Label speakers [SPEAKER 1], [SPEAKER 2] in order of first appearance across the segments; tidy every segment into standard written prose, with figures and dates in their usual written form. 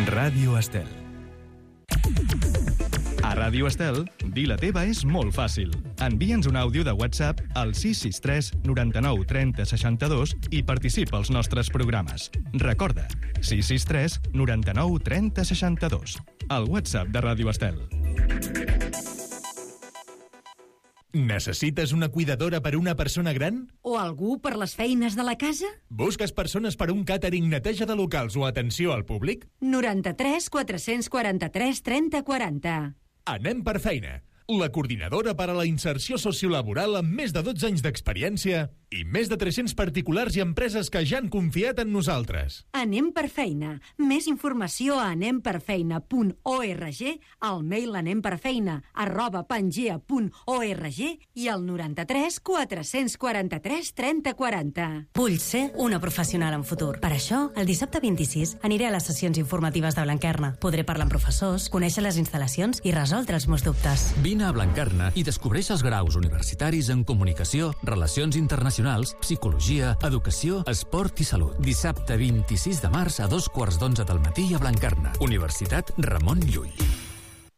[SPEAKER 1] Ràdio Estel. A Ràdio Estel, dir la teva és molt fàcil. Envia'ns un àudio de WhatsApp al 663 99 30 62 i participa als nostres programes. Recorda, 663 99 30 62. El WhatsApp de Ràdio Estel.
[SPEAKER 2] Necessites una cuidadora per una persona gran?
[SPEAKER 3] O algú per les feines de la casa?
[SPEAKER 2] Busques persones per un càtering, neteja de locals o atenció al públic?
[SPEAKER 3] 93 443 30 40.
[SPEAKER 2] Anem per feina. La coordinadora per a la inserció sociolaboral amb més de 12 anys d'experiència i més de 300 particulars i empreses que ja han confiat en nosaltres.
[SPEAKER 3] Anem per feina. Més informació a anemperfeina.org, al mail anemperfeina@pangea.org i al 93 443 30 40.
[SPEAKER 4] Vull ser una professional en futur. Per això, el dissabte 26 aniré a les sessions informatives de Blanquerna. Podré parlar amb professors, conèixer les instal·lacions i resoldre els meus dubtes.
[SPEAKER 5] Vine a Blanquerna i descobreix els graus universitaris en comunicació, relacions internacionals, psicologia, educació, esport i salut. Dissabte 26 de març a 2:15 del matí a Blanquerna. Universitat Ramon Llull.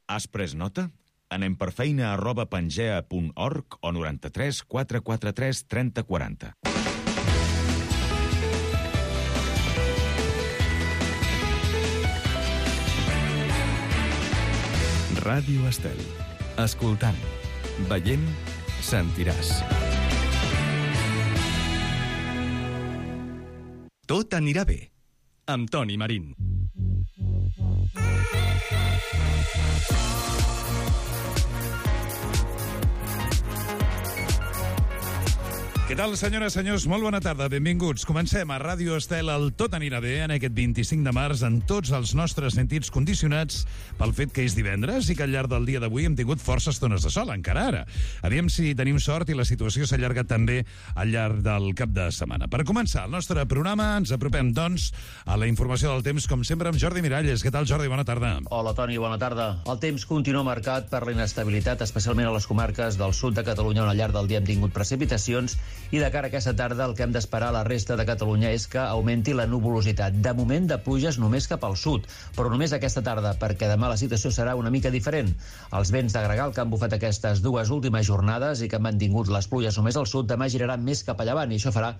[SPEAKER 6] Has pres nota? Anem per feina@pangea.org o 93 443 30 40.
[SPEAKER 1] Ràdio Estel. Escoltant, veient, sentiràs. Tot anirà bé, amb Toni Marín.
[SPEAKER 7] Què tal, senyores, senyors? Molt bona tarda, benvinguts. Comencem a Ràdio Estel, el Tot anirà bé, en aquest 25 de març, en tots els nostres sentits condicionats pel fet que és divendres i que al llarg del dia d'avui hem tingut força estones de sol, encara ara. Aviam si tenim sort i la situació s'allarga també al llarg del cap de setmana. Per començar el nostre programa, ens apropem, doncs, a la informació del temps, com sempre, amb Jordi Miralles. Què tal, Jordi? Bona tarda.
[SPEAKER 8] Hola, Toni, bona tarda. El temps continua marcat per la inestabilitat, especialment a les comarques del sud de Catalunya, on al llarg del dia hem tingut precipitacions, i de cara a aquesta tarda el que hem d'esperar a la resta de Catalunya és que augmenti la nuvolositat. De moment de pluges només cap al sud, però només aquesta tarda, perquè demà la situació serà una mica diferent. Els vents de gregal que han bufat aquestes dues últimes jornades i que han mantingut les pluges només al sud, demà giraran més cap a llevant, i això farà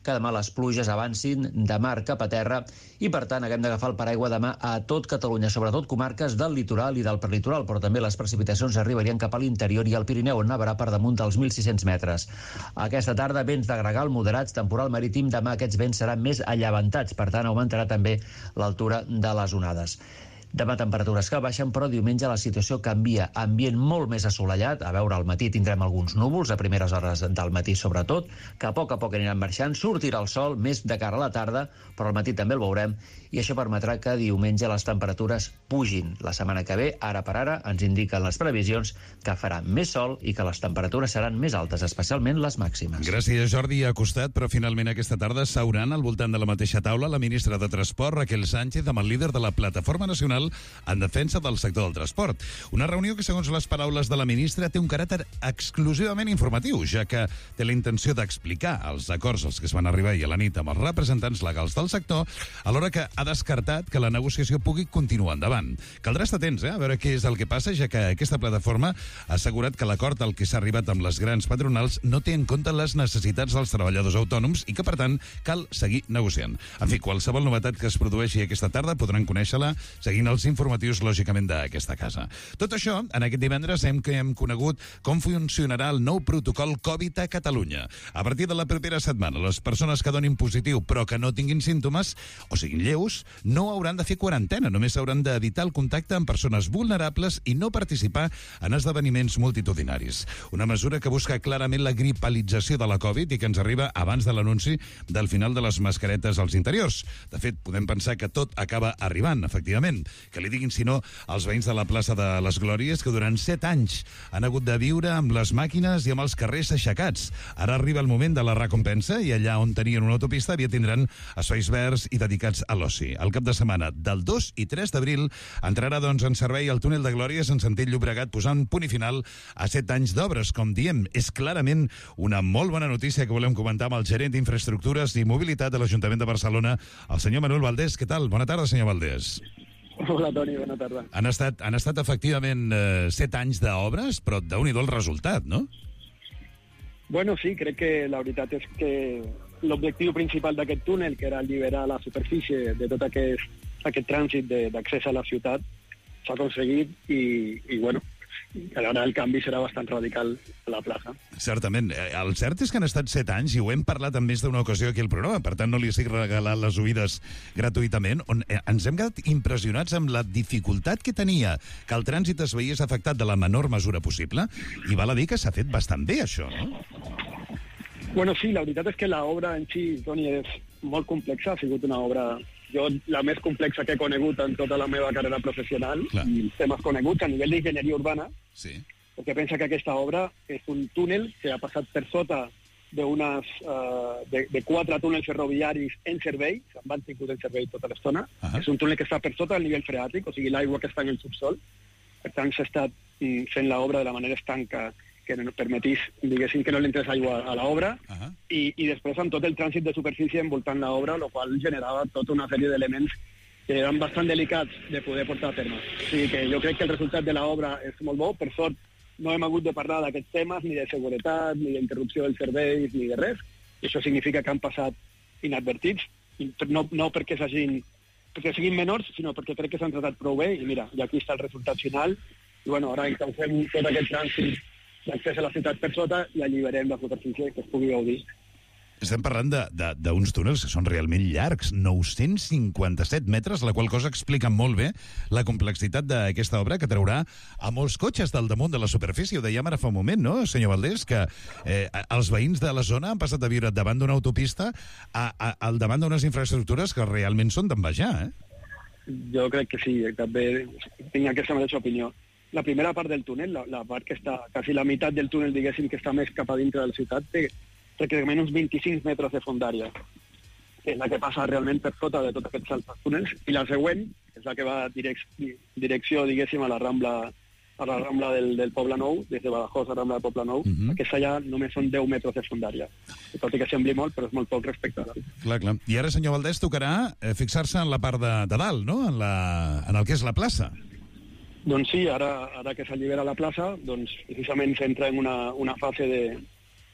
[SPEAKER 8] que demà les pluges avancin de mar cap a terra i, per tant, haguem d'agafar el paraigua demà a tot Catalunya, sobretot comarques del litoral i del prelitoral, però també les precipitacions arribarien cap a l'interior i al Pirineu, on nevarà per damunt dels 1.600 metres. Aquesta tarda, vents de gregal moderats, temporal marítim. Demà aquests vents seran més allevantats, per tant, augmentarà també l'altura de les onades. Demà temperatures que baixen, però diumenge la situació canvia. Ambient molt més assolellat. A veure, al matí tindrem alguns núvols, a primeres hores del matí sobretot, que a poc aniran marxant. Sortirà el sol més de cara a la tarda, però al matí també el veurem, i això permetrà que diumenge les temperatures pugin. La setmana que ve, ara per ara, ens indiquen les previsions que farà més sol i que les temperatures seran més altes, especialment les màximes.
[SPEAKER 7] Gràcies, Jordi. Ha costat, però finalment aquesta tarda s'hauran al voltant de la mateixa taula la ministra de Transport, Raquel Sánchez, amb el líder de la Plataforma Nacional en defensa del sector del transport. Una reunió que, segons les paraules de la ministra, té un caràcter exclusivament informatiu, ja que té la intenció d'explicar els acords als que es van arribar ahir a la nit amb els representants legals del sector, alhora que ha descartat que la negociació pugui continuar endavant. Caldrà estar atents, a veure què és el que passa, ja que aquesta plataforma ha assegurat que l'acord al que s'ha arribat amb les grans patronals no té en compte les necessitats dels treballadors autònoms i que, per tant, cal seguir negociant. En fi, qualsevol novetat que es produeixi aquesta tarda podran conèixer-la seguint els informatius, lògicament, d'aquesta casa. Tot això, en aquest divendres hem conegut com funcionarà el nou protocol Covid a Catalunya. A partir de la propera setmana, les persones que donin positiu però que no tinguin símptomes o siguin lleus, no hauran de fer quarantena, només hauran d'evitar el contacte amb persones vulnerables i no participar en esdeveniments multitudinaris. Una mesura que busca clarament la gripalització de la Covid i que ens arriba abans de l'anunci del final de les mascaretes als interiors. De fet, podem pensar que tot acaba arribant, efectivament. Que li diguin, si no, als veïns de la plaça de les Glòries, que durant 7 anys han hagut de viure amb les màquines i amb els carrers aixecats. Ara arriba el moment de la recompensa i allà on tenien una autopista aviat tindran espais verds i dedicats a l'oci. El cap de setmana del 2 i 3 d'abril entrarà, doncs, en servei el túnel de Glòries en sentit Llobregat, posant punt i final a 7 anys d'obres. Com diem, és clarament una molt bona notícia que volem comentar amb el gerent d'Infraestructures i Mobilitat de l'Ajuntament de Barcelona, el senyor Manuel Valdés. Què tal? Bona tarda, senyor Valdés.
[SPEAKER 9] Hola, Toni, bona tarda.
[SPEAKER 7] Han estat efectivament 7 anys d'obres, però déu-n'hi-do el resultat, no?
[SPEAKER 9] Bueno, sí, crec que la veritat és que l'objectiu principal d'aquest túnel, que era alliberar la superfície de tot aquest trànsit d'accés a la ciutat, s'ha aconseguit i bueno, ara el canvi serà bastant radical a la plaça.
[SPEAKER 7] Certament. El cert és que han estat 7 anys, i ho hem parlat en més d'una ocasió aquí al programa, per tant no li estic regalant les oïdes gratuïtament, on ens hem quedat impressionats amb la dificultat que tenia que el trànsit es veiés afectat de la menor mesura possible, i val a dir que s'ha fet bastant bé, això, no?
[SPEAKER 9] Bueno, sí, la veritat és que l'obra en si, Toni, és molt complexa. Ha sigut una obra, la més complexa que he conegut en tota la meva carrera professional. Clar. I temes coneguts a nivell d'enginyeria urbana. Sí. Perquè pensa que aquesta obra és un túnel que ha passat per sota de 4 túnels ferroviaris en servei, s'han mantingut en servei tota l'estona. És un túnel que està per sota del nivell freàtic, o sigui, l'aigua que està en el subsol. Per tant, s'ha estat fent l'obra de la manera estanca que no permetís, diguéssim, que no li entrés aigua a l'obra, i després amb tot el trànsit de superfície envoltant l'obra, el qual generava tota una sèrie d'elements que eren bastant delicats de poder portar a terme. O sigui que jo crec que el resultat de l'obra és molt bo. Per sort, no hem hagut de parlar d'aquests temes, ni de seguretat, ni d'interrupció dels serveis, ni de res. I això significa que han passat inadvertits, no perquè siguin menors, sinó perquè crec que s'han tratat prou bé, i mira, i aquí està el resultat final. I bueno, ara encaufem tot aquest trànsit d'accés a la ciutat per sota i alliberem la superfície que es pugui gaudir.
[SPEAKER 7] Estem parlant d'uns túnels que són realment llargs, 957 metres, la qual cosa explica molt bé la complexitat d'aquesta obra, que traurà a molts cotxes del damunt de la superfície. Ho dèiem ara fa un moment, no, senyor Valdés, que els veïns de la zona han passat a viure davant d'una autopista al davant d'unes infraestructures que realment són d'envejar,
[SPEAKER 9] Jo crec que sí, també tinc aquesta mateixa opinió. La primera part del túnel, la part que està, quasi la meitat del túnel, diguéssim, que està més cap a dintre de la ciutat, té pràcticament uns 25 metres de fondària, que és la que passa realment per sota de tots aquests altres túnels, i la següent, que és la que va direcció, diguéssim, a la Rambla del Poble Nou, des de Badajoz a la Rambla del Poble Nou, aquesta ja només són 10 metres de fondària, tot i que sembli molt, però és molt poc respecte a l'altre.
[SPEAKER 7] Clar. I ara, senyor Valdés, tocarà fixar-se en la part de dalt, no?, en el que és la plaça.
[SPEAKER 9] Doncs sí, ara que s'allibera la plaça, doncs precisament s'entra en una fase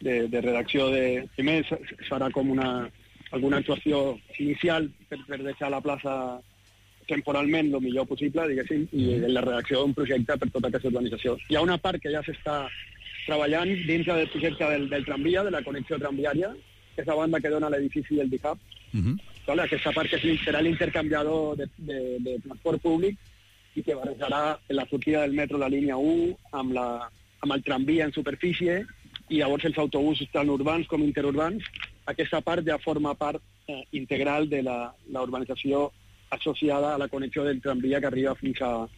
[SPEAKER 9] de redacció primer es farà com alguna actuació inicial per deixar la plaça temporalment el millor possible, diguéssim, i la redacció d'un projecte per tota aquesta urbanització. Hi ha una part que ja s'està treballant dintre del projecte del tramvia, de la connexió tramviària, que és la banda que dona l'edifici del DIHAB. Aquesta part que serà l'intercanviador de transport públic, i que barrejarà la sortida del metro, la línia 1, amb el tramvia en superfície, i llavors els autobusos tant urbans com interurbans. Aquesta part ja forma part integral de la urbanització associada a la connexió del tramvia que arriba fins a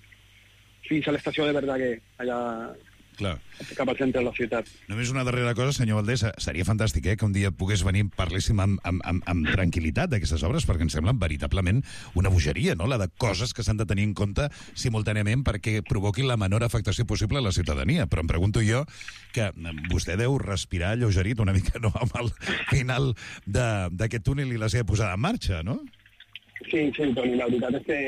[SPEAKER 9] l'estació de Verdaguer, allà cap al centre de la ciutat.
[SPEAKER 7] Només una darrera cosa, senyor Valdés, seria fantàstic que un dia pogués venir, parléssim amb tranquil·litat d'aquestes obres, perquè em semblen veritablement una bogeria, no?, la de coses que s'han de tenir en compte simultàniament perquè provoquin la menor afectació possible a la ciutadania. Però em pregunto jo que vostè deu respirar alleugerit una mica, no?, amb el final d'aquest túnel i la seva posada en marxa, no?
[SPEAKER 9] Sí, Toni, la veritat és que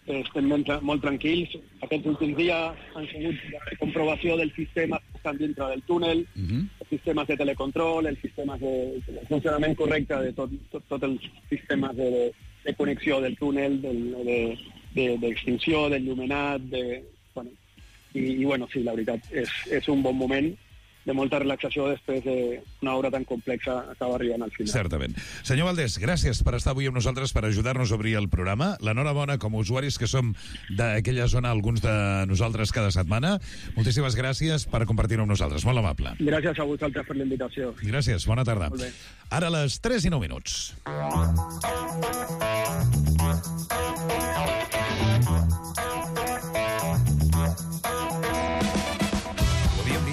[SPEAKER 9] estem molt tranquils. Aquests últims dies han sigut de comprovació dels sistemes que estan dintre del túnel, els sistemes de telecontrol, els sistemes de funcionament correcte de tots els sistemes de connexió del túnel, d'extinció, d'enllumenat, i bueno, sí, la veritat, és un bon moment de molta relaxació després d'una obra tan complexa acaba arribant al final.
[SPEAKER 7] Certament. Senyor Valdés, gràcies per estar avui amb nosaltres, per ajudar-nos a obrir el programa. L'enhorabona com a usuaris que som d'aquella zona, alguns de nosaltres cada setmana. Moltíssimes gràcies per compartir-ho amb nosaltres. Molt amable.
[SPEAKER 9] Gràcies a vosaltres per la invitació.
[SPEAKER 7] Gràcies, bona tarda.
[SPEAKER 9] Molt bé.
[SPEAKER 7] Ara a les 3:09.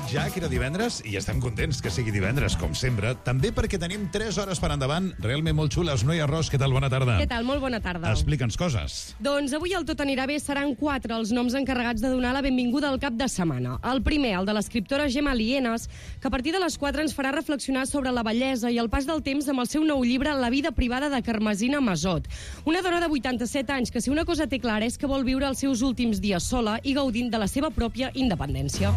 [SPEAKER 7] Ja que era divendres, i estem contents que sigui divendres, com sempre, també perquè tenim 3 hores per endavant, realment molt xules. Noia Ros, què tal? Bona tarda.
[SPEAKER 10] Què tal? Molt bona tarda.
[SPEAKER 7] Explica'ns coses.
[SPEAKER 10] Doncs avui el Tot anirà bé seran 4 els noms encarregats de donar la benvinguda al cap de setmana. El primer, el de l'escriptora Gemma Lienas, que a partir de les 4 ens farà reflexionar sobre la bellesa i el pas del temps amb el seu nou llibre La vida privada de Carmesina Masot. Una dona de 87 anys que si una cosa té clara és que vol viure els seus últims dies sola i gaudint de la seva pròpia independència.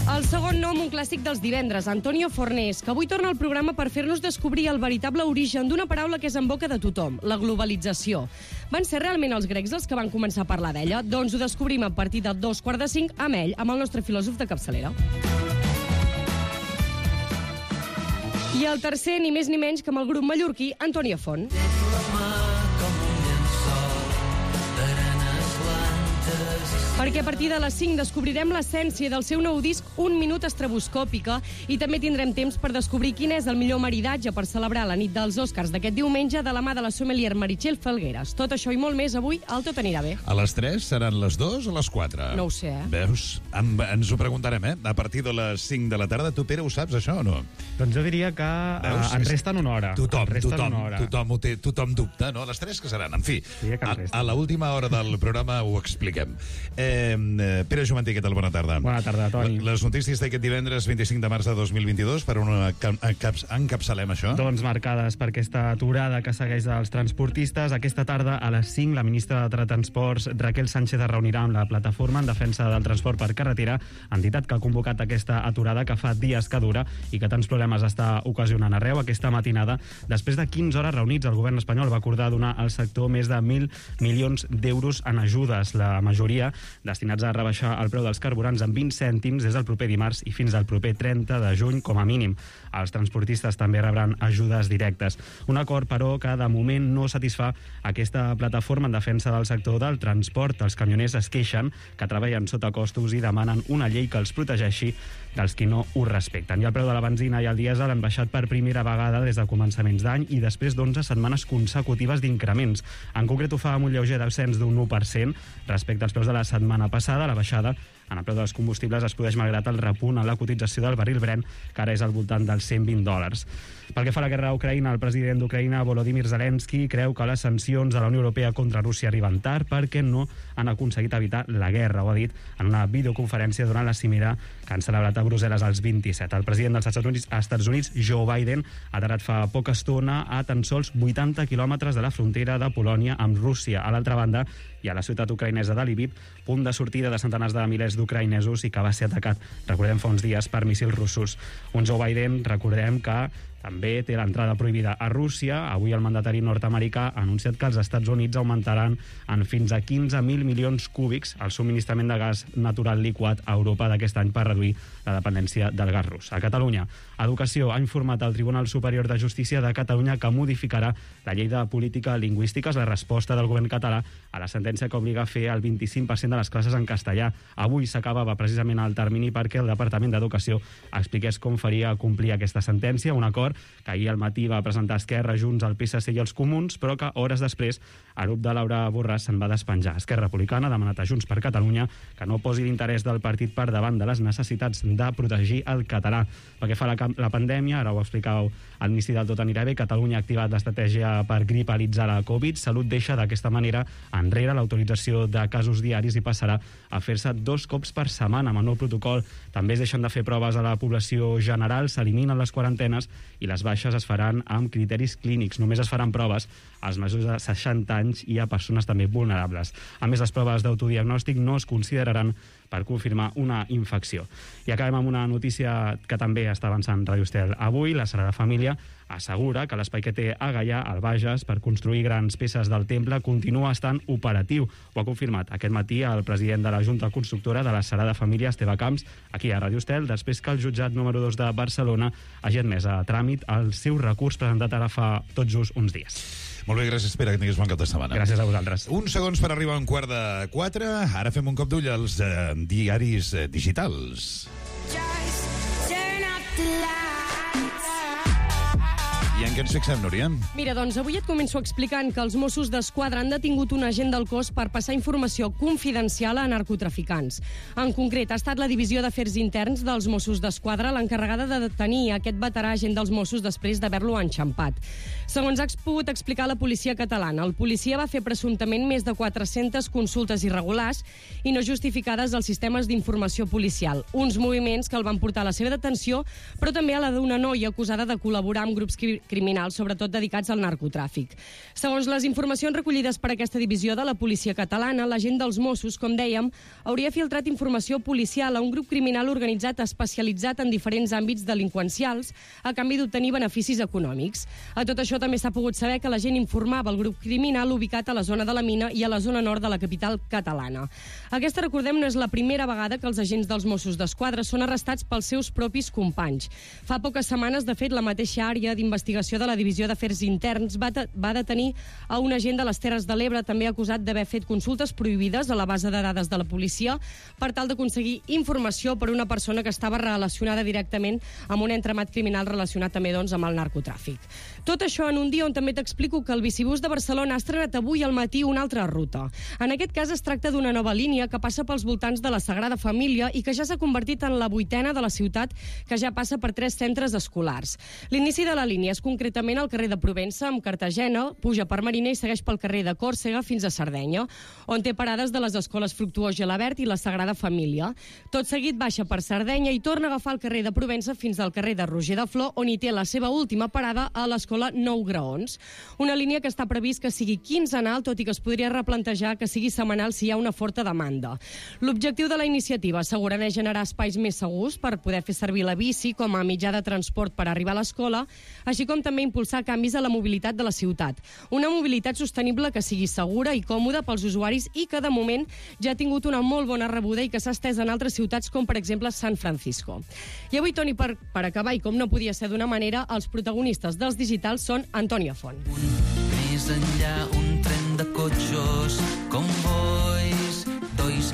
[SPEAKER 10] El segon nom, un clàssic dels divendres, Antonio Fornés, que avui torna al programa per fer-nos descobrir el veritable origen d'una paraula que és en boca de tothom, la globalització. Van ser realment els grecs els que van començar a parlar d'ella? Doncs ho descobrim a partir de 4:45 amb ell, amb el nostre filòsof de capçalera. I el tercer, ni més ni menys que amb el grup mallorquí Antònia Font. Perquè a partir de les 5 descobrirem l'essència del seu nou disc Un minut estroboscòpica i també tindrem temps per descobrir quin és el millor maridatge per celebrar la nit dels Oscars d'aquest diumenge de la mà de la sommelier Meritxell Felgueres. Tot això i molt més avui al Tot anirà bé.
[SPEAKER 7] A les 3 seran les 2 o les 4?
[SPEAKER 10] No ho sé,
[SPEAKER 7] Veus? Ens ho preguntarem, A partir de les 5 de la tarda. Tu, Pere, ho saps, això, o no?
[SPEAKER 11] Doncs jo diria que en resten una hora.
[SPEAKER 7] Tothom dubta, no? A les 3 que seran? En fi, a l'última hora del programa ho expliquem. Pere Jumantí, què tal? Bona tarda.
[SPEAKER 11] Bona tarda, Toni.
[SPEAKER 7] Les notícies d'aquest divendres 25 de març de 2022, per on encapçalem això?
[SPEAKER 11] Doncs marcades per aquesta aturada que segueix els transportistes. Aquesta tarda, a les 5, la ministra de Transports, Raquel Sánchez, es reunirà amb la plataforma en defensa del transport per carretera, entitat que ha convocat aquesta aturada que fa dies que dura i que tants problemes està ocasionant arreu. Aquesta matinada, després de 15 hores reunits, el govern espanyol va acordar donar al sector més de 1.000 milions d'euros en ajudes, la majoria destinats a rebaixar el preu dels carburants en 20 cèntims des del proper dimarts i fins al proper 30 de juny, com a mínim. Els transportistes també rebran ajudes directes. Un acord, però, que de moment no satisfà aquesta plataforma en defensa del sector del transport. Els camioners es queixen que treballen sota costos i demanen una llei que els protegeixi dels qui no ho respecten. I el preu de la benzina i el dièsel han baixat per primera vegada des de començaments d'any i després d'11 setmanes consecutives d'increments. En concret, ho fa amb un lleuger descens d'un 1% respecte als preus de la setmana passada. La baixada en el preu dels combustibles es produeix malgrat el repunt en la cotització del barril Brent, que ara és al voltant dels $120. Pel que fa a la guerra a Ucraïna, el president d'Ucraïna, Volodymyr Zelensky, creu que les sancions de la Unió Europea contra Rússia arriben tard perquè no han aconseguit evitar la guerra. Ho ha dit en una videoconferència durant la cimera que han celebrat a Brussel·les els 27. El president dels Estats Units, Joe Biden, ha aterrat fa poca estona a tan sols 80 quilòmetres de la frontera de Polònia amb Rússia. A l'altra banda, hi ha la ciutat ucraïnesa de Lviv, punt de sortida de centenars de milers d'ucraïnesos i que va ser atacat, recordem, fa uns dies per míssils russos. Un Joe Biden, recordem que també té l'entrada prohibida a Rússia. Avui el mandatari nord-americà ha anunciat que els Estats Units augmentaran en fins a 15.000 milions cúbics el subministrament de gas natural liquat a Europa d'aquest any per reduir la dependència del gas rus. A Catalunya, Educació ha informat al Tribunal Superior de Justícia de Catalunya que modificarà la llei de política lingüística, la resposta del govern català a la sentència que obliga a fer el 25% de les classes en castellà. Avui s'acabava precisament el termini perquè el Departament d'Educació expliqués com faria complir aquesta sentència, un acord que ahir al matí va presentar Esquerra, Junts, el PSC i els Comuns, però que hores després el grup de Laura Borràs se'n va despenjar. Esquerra Republicana ha demanat a Junts per Catalunya que no posi l'interès del partit per davant de les necessitats de protegir el català. Pel que fa a la pandèmia, ara ho explicàveu al l'inici del Tot anirà bé, Catalunya ha activat l'estratègia per gripalitzar la Covid. Salut deixa d'aquesta manera enrere l'autorització de casos diaris i passarà a fer-se 2 cops per setmana amb el nou protocol. També es deixen de fer proves a la població general, s'eliminen les quarantenes i les baixes es faran amb criteris clínics. Només es faran proves als majors de 60 anys i a persones també vulnerables. A més, les proves d'autodiagnòstic no es consideraran per confirmar una infecció. I acabem amb una notícia que també està avançant Radio Estel. Avui, la Sagrada Família assegura que l'espai que té a Gaià, al Bages, per construir grans peces del temple, continua estant operatiu. Ho ha confirmat aquest matí el president de la Junta Constructora de la Sagrada Família, Esteve Camps, aquí a Radio Estel, després que el jutjat número 2 de Barcelona hagi admès a tràmit el seu recurs presentat ara fa tot just uns dies.
[SPEAKER 7] Molt bé, gràcies, Pere, que tinguis bon cap de setmana.
[SPEAKER 11] Gràcies a vosaltres.
[SPEAKER 7] Uns segons per arribar a un quart de 4. Ara fem un cop d'ull als diaris digitals. I I en què ens fixem, Núria?
[SPEAKER 10] Mira, doncs avui et començo explicant que els Mossos d'Esquadra han detingut un agent del cos per passar informació confidencial a narcotraficants. En concret, ha estat la Divisió d'Afers Interns dels Mossos d'Esquadra l'encarregada de detenir aquest veterà agent dels Mossos després d'haver-lo enxampat. Segons ha pogut explicar la policia catalana, el policia va fer presumptament més de 400 consultes irregulars i no justificades als sistemes d'informació policial. Uns moviments que el van portar a la seva detenció, però també a la d'una noia acusada de col·laborar amb grups criminals, sobretot dedicats al narcotràfic. Segons les informacions recollides per aquesta divisió de la policia catalana, l'agent dels Mossos, com dèiem, hauria filtrat informació policial a un grup criminal organitzat especialitzat en diferents àmbits delinqüencials a canvi d'obtenir beneficis econòmics. A tot això també s'ha pogut saber que l'agent informava el grup criminal ubicat a la zona de la Mina i a la zona nord de la capital catalana. Aquesta, recordem, no és la primera vegada que els agents dels Mossos d'Esquadra són arrestats pels seus propis companys. Fa poques setmanes, de fet, la mateixa àrea d'investigació de la Divisió d'Afers Interns va detenir a un agent de les Terres de l'Ebre també acusat d'haver fet consultes prohibides a la base de dades de la policia per tal d'aconseguir informació per una persona que estava relacionada directament amb un entramat criminal relacionat també amb el narcotràfic. Tot això en un dia on també t'explico que el Bicibús de Barcelona ha estrenat avui al matí una altra ruta. En aquest cas es tracta d'una nova línia que passa pels voltants de la Sagrada Família i que ja s'ha convertit en la 8a de la ciutat, que ja passa per 3 centres escolars. L'inici de la línia és concretament al carrer de Provença, amb Cartagena, puja per Marina i segueix pel carrer de Còrsega fins a Sardenya, on té parades de les escoles Fructuós Gelabert i la Sagrada Família. Tot seguit baixa per Sardenya i torna a agafar el carrer de Provença fins al carrer de Roger de Flor, on hi té la seva última parada a l'escola Nou Graons. Una línia que està previst que sigui quinzenal, tot i que es podria replantejar que sigui setmanal si hi ha una forta demanda. L'objectiu de la iniciativa segurament és generar espais més segurs per poder fer servir la bici com a mitjà de transport per arribar a l'escola, així com també impulsar canvis a la mobilitat de la ciutat. Una mobilitat sostenible que sigui segura i còmoda pels usuaris i que, de moment, ja ha tingut una molt bona rebuda i que s'ha estès en altres ciutats com, per exemple, San Francisco. I avui, Toni, per acabar, i com no podia ser d'una manera, els protagonistes dels digitals són Antònia Font.
[SPEAKER 12] Més enllà, un tren de cotxos, convois,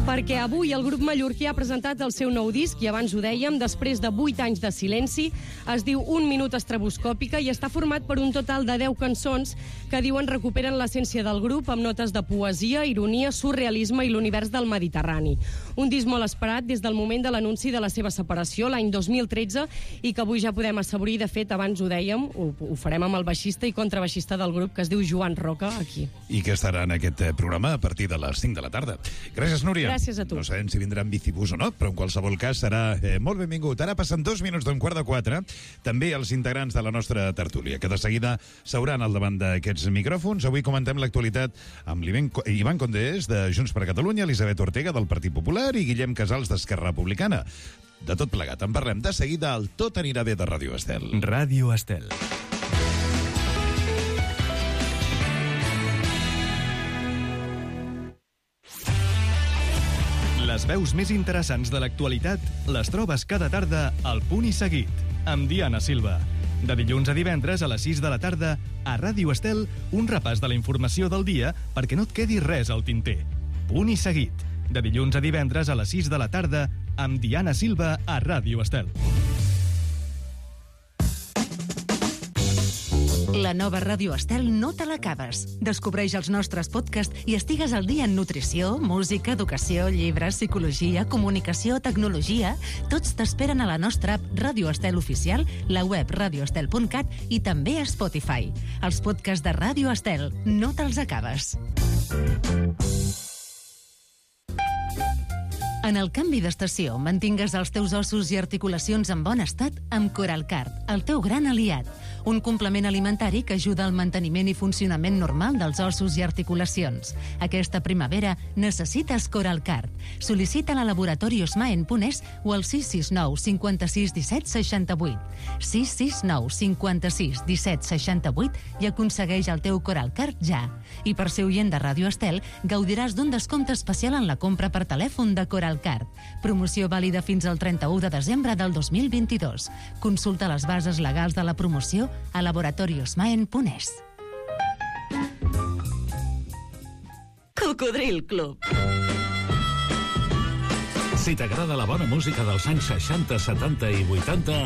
[SPEAKER 10] perquè avui el grup mallorquí ha presentat el seu nou disc i abans ho dèiem, després de 8 anys de silenci, es diu Un minut estroboscòpica i està format per un total de 10 cançons que diuen recuperen l'essència del grup amb notes de poesia, ironia, surrealisme i l'univers del Mediterrani. Un disc molt esperat des del moment de l'anunci de la seva separació l'any 2013 i que avui ja podem assaborir. De fet, abans ho dèiem, ho farem amb el baixista i contrabaixista del grup que es diu Joan Roca, aquí.
[SPEAKER 7] I que estarà en aquest programa a partir de les 5 de la tarda. Gràcies, Núria.
[SPEAKER 10] Gràcies a tu.
[SPEAKER 7] No sabem si vindrà en bicibús o no, però en qualsevol cas serà molt benvingut. Ara passen 2 minuts d'3:15, també els integrants de la nostra tertúlia, que de seguida seuran al davant d'aquests micròfons. Avui comentem l'actualitat amb Ivan Condés, de Junts per Catalunya, Elisabet Ortega, del Partit Popular, i Guillem Casals, d'Esquerra Republicana. De tot plegat en parlem de seguida al Tot anirà bé de Ràdio Estel.
[SPEAKER 1] Ràdio Estel. Les veus més interessants de l'actualitat les trobes cada tarda al Punt i Seguit, amb Diana Silva. De dilluns a divendres a les 6 de la tarda, a Ràdio Estel, un repàs de la informació del dia perquè no et quedi res al tinter. Punt i Seguit. De dilluns a divendres a les 6 de la tarda, amb Diana Silva a Ràdio Estel.
[SPEAKER 13] La nova Ràdio Estel no te l'acabes. Descobreix els nostres podcasts i estigues al dia en nutrició, música, educació, llibres, psicologia, comunicació, tecnologia. Tots t'esperen a la nostra app Ràdio Estel Oficial, la web radioestel.cat i també a Spotify. Els podcasts de Ràdio Estel no te'ls acabes. En el canvi d'estació, mantingues els teus ossos i articulacions en bon estat amb Coralcard, el teu gran aliat. Un complement alimentari que ajuda al manteniment i funcionament normal dels ossos i articulacions. Aquesta primavera necessites Coralcard. Sol·licita-la a Laboratori Osma en Punès o al 669 56 17 68. 669 56 17 68 i aconsegueix el teu Coralcard ja. I per ser oient de Ràdio Estel, gaudiràs d'un descompte especial en la compra per telèfon de Coralcard. Promoció vàlida fins al 31 de desembre del 2022. Consulta les bases legals de la promoció a Laboratori Osma en Punès.
[SPEAKER 14] Cocodril Club.
[SPEAKER 2] Si t'agrada la bona música dels anys 60, 70 i 80,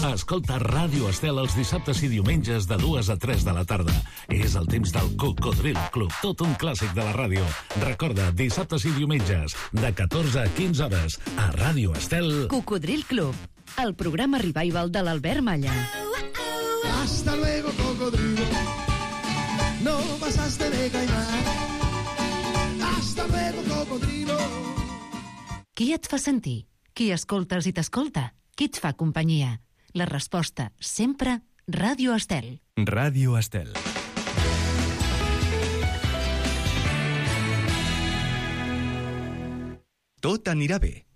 [SPEAKER 14] Escolta Ràdio Estel els dissabtes i diumenges de 2 a 3 de la tarda. És el temps del Cocodril Club, tot un clàssic de la ràdio. Recorda, dissabtes i diumenges, de 14 a 15 hores, a Ràdio Estel.
[SPEAKER 15] Cocodril Club, el programa revival de l'Albert Malla.
[SPEAKER 16] Hasta luego, cocodrilo. No pasaste de caimán. Hasta luego, cocodrilo.
[SPEAKER 13] Qui et fa sentir? Qui escoltes i t'escolta? Qui et fa companyia? La resposta, sempre, Ràdio Estel.
[SPEAKER 1] Ràdio Estel. Tot anirà bé,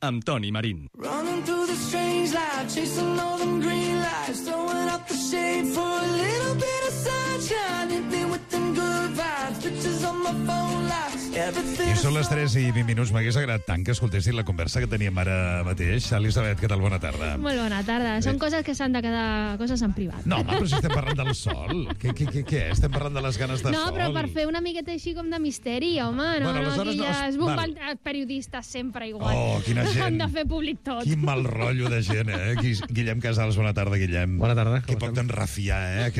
[SPEAKER 1] amb Toni Marín.
[SPEAKER 16] Running through the strange light, chasing all them green lights, throwing up the shade for a little bit of sunshine. Hit me with them good vibes, pictures on my phone lights.
[SPEAKER 7] I són les 3 i 20 minuts. M'hagués agradat tant que escoltessin la conversa que teníem ara mateix. Elisabet, què tal? Bona tarda.
[SPEAKER 17] Molt bona tarda. Són coses que s'han de quedar coses en privat.
[SPEAKER 7] No, home, però si estem parlant del sol. Què? Estem parlant de les ganes de sol.
[SPEAKER 17] No, però per fer una miqueta així com de misteri, home, no,
[SPEAKER 7] bueno,
[SPEAKER 17] aquí ja es bomben periodistes sempre igual.
[SPEAKER 7] Oh, quina gent.
[SPEAKER 17] Han de fer públic tot.
[SPEAKER 7] Quin mal rotllo de gent, eh? Guillem Casals, bona tarda, Guillem.
[SPEAKER 11] Bona tarda.
[SPEAKER 7] Que poc t'enrafiar, eh?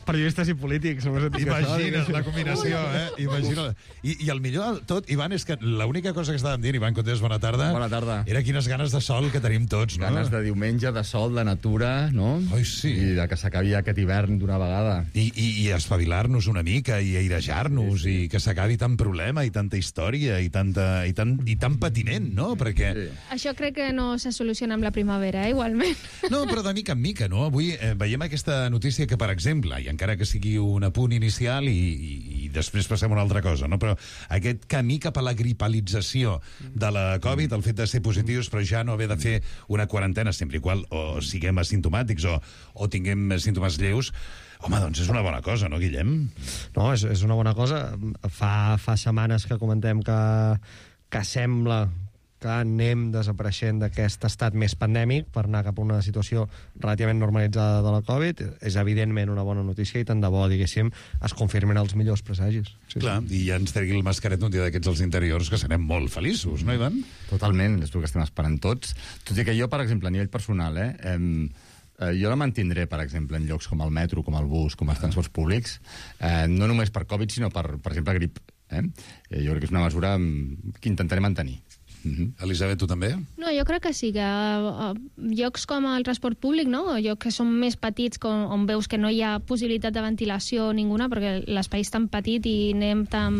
[SPEAKER 11] Periodistes i polítics.
[SPEAKER 7] Imagina't la combinació, eh? Imagina't. I el millor del tot, Ivan, és que l'única cosa que estàvem dient, Ivan Cotés, bona tarda.
[SPEAKER 18] Bona tarda.
[SPEAKER 7] Era quines ganes de sol que tenim tots, no?
[SPEAKER 18] Ganes de diumenge, de sol, de natura, no?
[SPEAKER 7] Oi, sí.
[SPEAKER 18] I de que s'acabi aquest hivern d'una vegada.
[SPEAKER 7] I espavilar-nos una mica, i airejar-nos, i que s'acabi tant problema, i tanta història, i tant patiment, no? Perquè...
[SPEAKER 17] Sí. Això crec que no se soluciona amb la primavera, igualment.
[SPEAKER 7] No, però de mica en mica, no? Avui veiem aquesta notícia que, per exemple, i encara que sigui un apunt inicial i després passem a una altra cosa, no? Però aquest camí cap a la gripalització de la Covid, el fet de ser positius però ja no haver de fer una quarantena sempre igual o siguem asimptomàtics o tinguem símptomes lleus, home, doncs és una bona cosa, no, Guillem?
[SPEAKER 19] No, és una bona cosa. Fa setmanes que comentem que sembla que anem desapareixent d'aquest estat més pandèmic per anar cap a una situació relativament normalitzada de la Covid. És evidentment una bona notícia i tant de bo, diguéssim, es confirmen els millors presagis.
[SPEAKER 7] Sí, clar, i ja ens tregui el mascaret un dia d'aquests als interiors, que serem molt feliços, no, Ivan?
[SPEAKER 18] Totalment, és el que estem esperant tots. Tot i que jo, per exemple, a nivell personal, jo la mantindré, per exemple, en llocs com el metro, com el bus, com els transports públics, no només per Covid, sinó per exemple, grip. Jo crec que és una mesura que intentaré mantenir.
[SPEAKER 7] Elisabet, tu també?
[SPEAKER 17] No, jo crec que sí, que llocs com el transport públic, no? Llocs que són més petits, on veus que no hi ha possibilitat de ventilació ninguna, perquè l'espai és tan petit i anem tan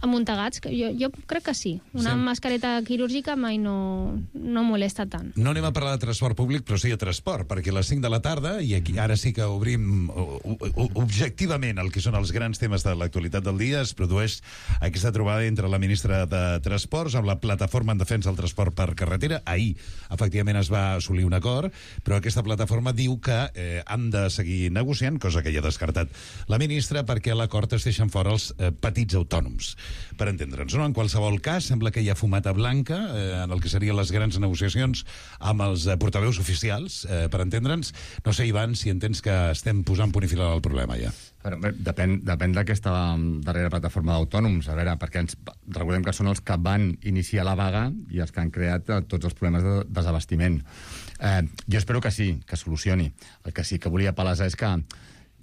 [SPEAKER 17] amuntegats, que jo crec que sí. Una mascareta quirúrgica mai no molesta tant.
[SPEAKER 7] No anem a parlar de transport públic, però sí de transport, perquè a les 5 de la tarda, i aquí ara sí que obrim objectivament el que són els grans temes de l'actualitat del dia, es produeix aquesta trobada entre la ministra de Transports amb la plataforma en defensa del transport per carretera. Ahir, efectivament, es va assolir un acord, però aquesta plataforma diu que han de seguir negociant, cosa que ja ha descartat la ministra, perquè a l'acord es deixen fora els petits autònoms. Per entendre'ns, no? En qualsevol cas, sembla que hi ha fumata blanca en el que serien les grans negociacions amb els portaveus oficials, per entendre'ns. No sé, Ivan, si entens que estem posant punt i final al problema, ja.
[SPEAKER 18] Depèn d'aquesta darrera plataforma d'autònoms, a veure, perquè recordem que són els que van iniciar la vaga i els que han creat tots els problemes de desabastiment. Jo espero que sí, que solucioni. El que sí que volia palesar és que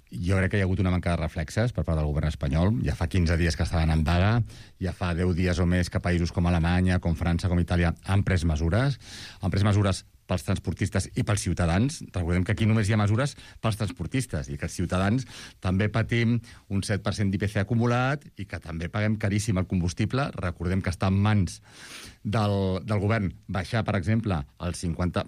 [SPEAKER 18] jo crec que hi ha hagut una manca de reflexes per part del govern espanyol. Ja fa 15 dies que estaven en vaga, ja fa 10 dies o més que països com Alemanya, com França, com Itàlia han pres mesures pels transportistes i pels ciutadans. Recordem que aquí només hi ha mesures pels transportistes i que els ciutadans també patim un 7% d'IPC acumulat i que també paguem caríssim el combustible. Recordem que està en mans del govern baixar, per exemple, el 50...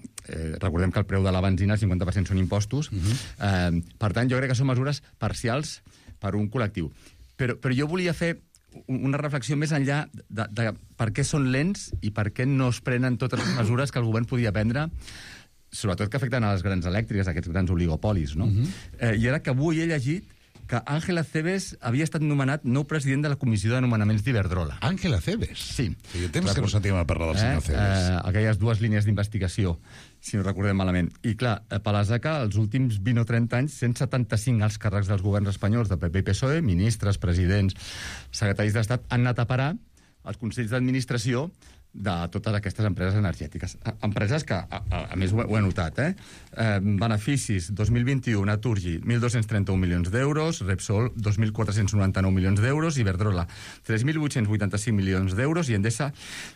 [SPEAKER 18] recordem que el preu de la benzina, el 50% són impostos. Per tant, jo crec que són mesures parcials per un col·lectiu. Però jo volia fer una reflexió més enllà de per què són lents i per què no es prenen totes les mesures que el govern podia prendre, sobretot que afecten a les grans elèctriques, aquests grans oligopolis, no? I era que avui he llegit que Ángel Acebes havia estat nomenat nou president de la Comissió de Nomenaments d'Iberdrola.
[SPEAKER 7] Ángel Acebes?
[SPEAKER 18] Sí.
[SPEAKER 7] Feia temps que no sentíem a parlar del senyor Acebes.
[SPEAKER 18] Aquelles dues línies d'investigació, si no recordem malament. I clar, palesa que els últims 20 o 30 anys, 175 alts càrrecs dels governs espanyols de PP i PSOE, ministres, presidents, secretaris d'Estat, han anat a parar als consells d'administració de totes aquestes empreses energètiques. Empreses que, a més, ho he notat, beneficis 2021, Naturgy, 1.231 milions d'euros, Repsol, 2.499 milions d'euros, Iberdrola, 3.885 milions d'euros i Endesa,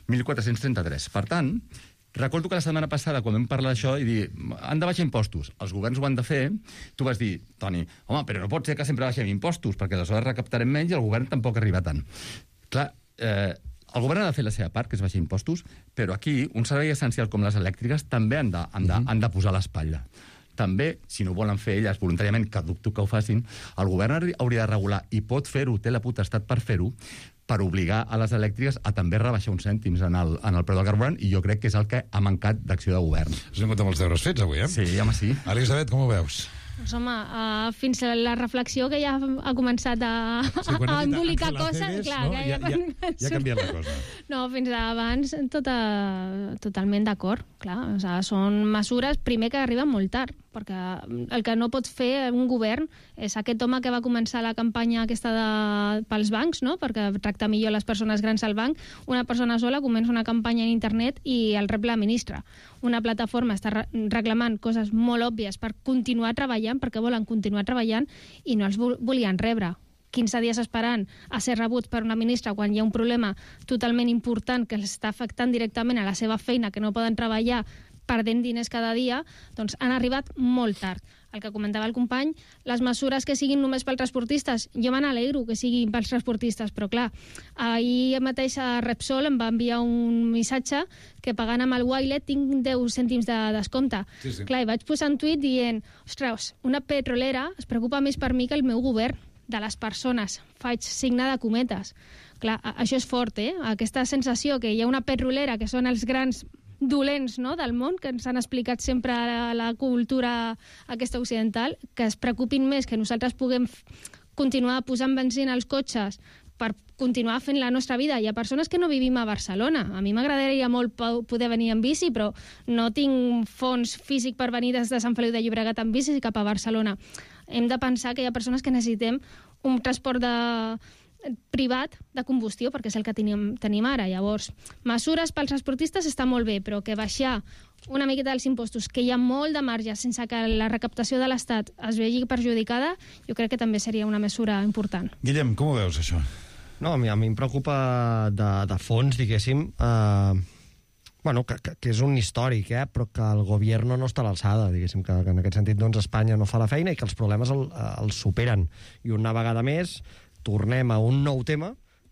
[SPEAKER 18] 1.433. Per tant, recordo que la setmana passada, quan vam parlar d'això, i dir, han de baixar impostos, els governs ho han de fer, tu vas dir, Toni, home, però no pot ser que sempre baixem impostos, perquè aleshores recaptarem menys i el govern tampoc arriba tant. Clar, el govern ha de fer la seva part, que és baixar impostos, però aquí un servei essencial com les elèctriques també han de posar l'espatlla. També, si no ho volen fer elles voluntàriament, que dubto que ho facin, el govern hauria de regular, i pot fer-ho, té la potestat per fer-ho, per obligar a les elèctriques a també rebaixar uns cèntims en el preu del carburant, i jo crec que és el que ha mancat d'acció de govern.
[SPEAKER 7] Has vingut amb els deures fets, avui,
[SPEAKER 18] Sí, home, sí.
[SPEAKER 7] Elisabet, com ho veus?
[SPEAKER 17] Doncs home, fins a la reflexió que ja ha començat a embolicar coses, clar,
[SPEAKER 7] no? Ja ha canviat la cosa.
[SPEAKER 17] No, fins abans totalment d'acord, clar. O sigui, són mesures, primer, que arriben molt tard, perquè el que no pot fer un govern és aquest home que va començar la campanya aquesta pels bancs, no? Perquè tracta millor les persones grans al banc. Una persona sola comença una campanya en internet i el rep la ministra. Una plataforma està reclamant coses molt òbvies per continuar treballant, perquè volen continuar treballant i no els volien rebre. 15 dies esperant a ser rebuts per una ministra quan hi ha un problema totalment important que els està afectant directament a la seva feina, que no poden treballar perdent diners cada dia, doncs han arribat molt tard. El que comentava el company, les mesures que siguin només pels transportistes, jo me n'alegro que siguin pels transportistes, però clar, ahir mateix a Repsol em va enviar un missatge que pagant amb el Wilet tinc 10 cèntims de descompte. Sí. Clar, i vaig posar un tuit dient, ostres, una petrolera es preocupa més per mi que el meu govern, de les persones. Faig signe de cometes. Clar, això és fort, Aquesta sensació que hi ha una petrolera, que són els grans dolents, no?, del món, que ens han explicat sempre a la cultura aquesta occidental, que es preocupin més que nosaltres puguem continuar posant benzina als cotxes per continuar fent la nostra vida. Hi ha persones que no vivim a Barcelona. A mi m'agradaria molt poder venir en bici, però no tinc fons físic per venir des de Sant Feliu de Llobregat en bici cap a Barcelona. Hem de pensar que hi ha persones que necessitem un transport privat de combustió, perquè és el que tenim ara. Llavors, mesures pels transportistes està molt bé, però que baixar una miqueta dels impostos, que hi ha molt de marge sense que la recaptació de l'Estat es vegi perjudicada, jo crec que també seria una mesura important.
[SPEAKER 7] Guillem, com ho veus, això?
[SPEAKER 19] No, a mi em preocupa de fons, diguéssim, que és un històric, però que el govern no està a l'alçada, diguéssim, que en aquest sentit doncs, Espanya no fa la feina i que els problemes els superen. I una vegada més tornem a un nou tema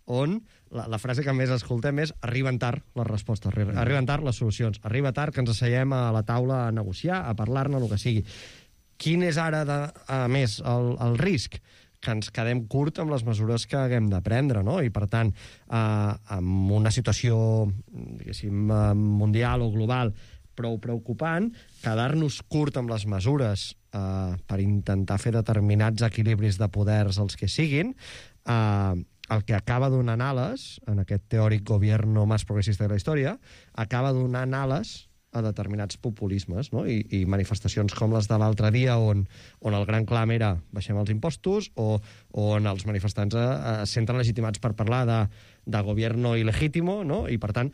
[SPEAKER 19] on la frase que més escoltem és arriben tard les respostes, arriben tard les solucions, arriba tard que ens asseiem a la taula a negociar, a parlar-ne, el que sigui. Quin és ara, a més, el risc? Que ens quedem curt amb les mesures que haguem de prendre, no? I, per tant, amb una situació, diguéssim, mundial o global prou preocupant, quedar-nos curt amb les mesures per intentar fer determinats equilibris de poders els que siguin, el que acaba donant ales, en aquest teòric gobierno més progressista de la història, acaba donant ales a determinats populismes, no? I manifestacions com les de l'altre dia on el gran clam era baixem els impostos, o on els manifestants es senten legitimats per parlar de gobierno ilegítimo, no? I, per tant,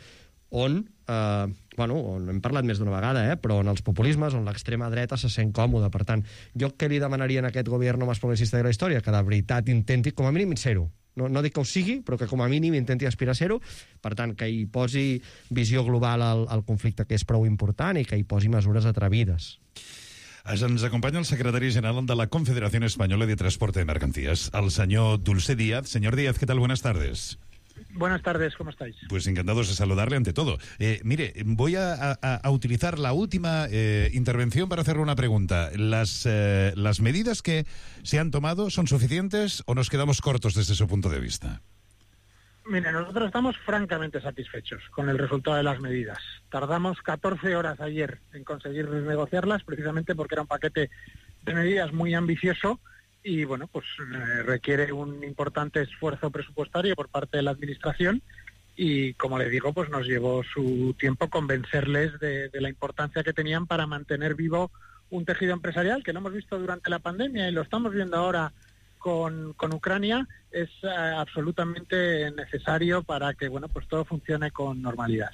[SPEAKER 19] on hem parlat més d'una vegada, però on els populismes, on l'extrema dreta se sent còmode. Per tant, jo què li demanaria a aquest govern més progressista de la història? Que de veritat intenti, com a mínim, ser-ho. No dic que ho sigui, però que com a mínim intenti aspirar a ser-ho. Per tant, que hi posi visió global al conflicte, que és prou important, i que hi posi mesures atrevides.
[SPEAKER 7] Ens acompanya el secretari general de la Confederación Española de Transporte de Mercancías, el señor Dulce Díaz. Señor Díaz, ¿qué tal? Buenas tardes.
[SPEAKER 20] Buenas tardes, ¿cómo estáis?
[SPEAKER 7] Pues encantados de saludarle ante todo. Mire, voy a utilizar la última intervención para hacerle una pregunta. ¿Las medidas que se han tomado son suficientes o nos quedamos cortos desde su punto de vista?
[SPEAKER 20] Mire, nosotros estamos francamente satisfechos con el resultado de las medidas. Tardamos 14 horas ayer en conseguir negociarlas, precisamente porque era un paquete de medidas muy ambicioso y, bueno, pues requiere un importante esfuerzo presupuestario por parte de la Administración y, como le digo, pues nos llevó su tiempo convencerles de la importancia que tenían para mantener vivo un tejido empresarial que lo hemos visto durante la pandemia y lo estamos viendo ahora con Ucrania es absolutamente necesario para que pues todo funcione con normalidad.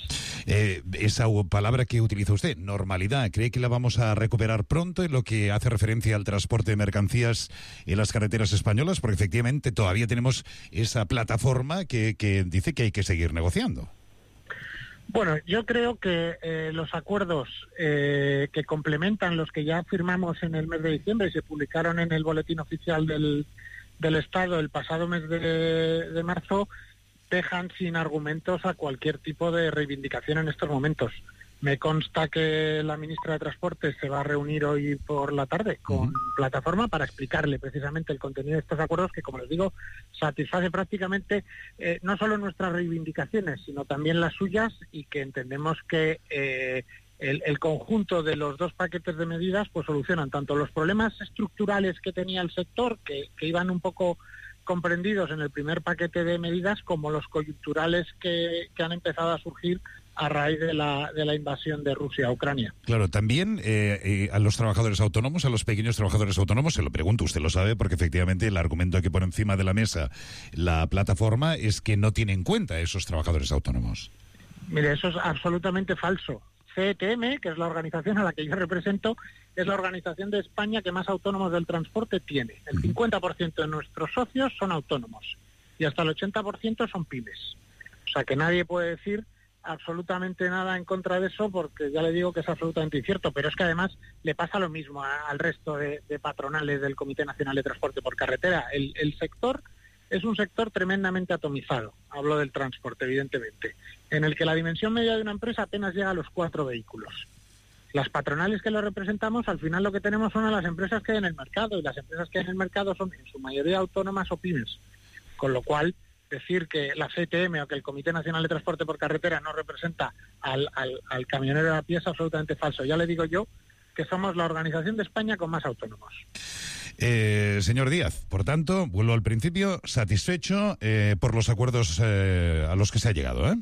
[SPEAKER 7] Esa palabra que utiliza usted, normalidad, ¿cree que la vamos a recuperar pronto en lo que hace referencia al transporte de mercancías en las carreteras españolas? Porque efectivamente todavía tenemos esa plataforma que dice que hay que seguir negociando.
[SPEAKER 20] Bueno, yo creo que los acuerdos que complementan los que ya firmamos en el mes de diciembre y se publicaron en el boletín oficial del Estado el pasado mes de marzo dejan sin argumentos a cualquier tipo de reivindicación en estos momentos. Me consta que la ministra de Transportes se va a reunir hoy por la tarde con Plataforma para explicarle precisamente el contenido de estos acuerdos que, como les digo, satisface prácticamente no solo nuestras reivindicaciones, sino también las suyas, y que entendemos que el conjunto de los dos paquetes de medidas pues solucionan tanto los problemas estructurales que tenía el sector, que iban un poco comprendidos en el primer paquete de medidas, como los coyunturales que han empezado a surgir a raíz de la invasión de Rusia a Ucrania.
[SPEAKER 7] Claro, también a los trabajadores autónomos, a los pequeños trabajadores autónomos, se lo pregunto, usted lo sabe, porque efectivamente el argumento que pone encima de la mesa la plataforma es que no tiene en cuenta a esos trabajadores autónomos.
[SPEAKER 20] Mire, eso es absolutamente falso. CETM, que es la organización a la que yo represento, es la organización de España que más autónomos del transporte tiene. El 50% de nuestros socios son autónomos y hasta el 80% son pymes. O sea que nadie puede decir absolutamente nada en contra de eso, porque ya le digo que es absolutamente incierto, pero es que además le pasa lo mismo al resto de patronales del Comité Nacional de Transporte por Carretera. El sector es un sector tremendamente atomizado, hablo del transporte evidentemente, en el que la dimensión media de una empresa apenas llega a los 4 vehículos. Las patronales que lo representamos, al final lo que tenemos son a las empresas que hay en el mercado, y las empresas que hay en el mercado son en su mayoría autónomas o pymes, con lo cual decir que la CTM o que el Comité Nacional de Transporte por Carretera no representa al camionero de a pie es absolutamente falso. Ya le digo yo que somos la organización de España con más autónomos.
[SPEAKER 7] Señor Díaz, por tanto, vuelvo al principio, satisfecho por los acuerdos a los que se ha llegado, ¿eh?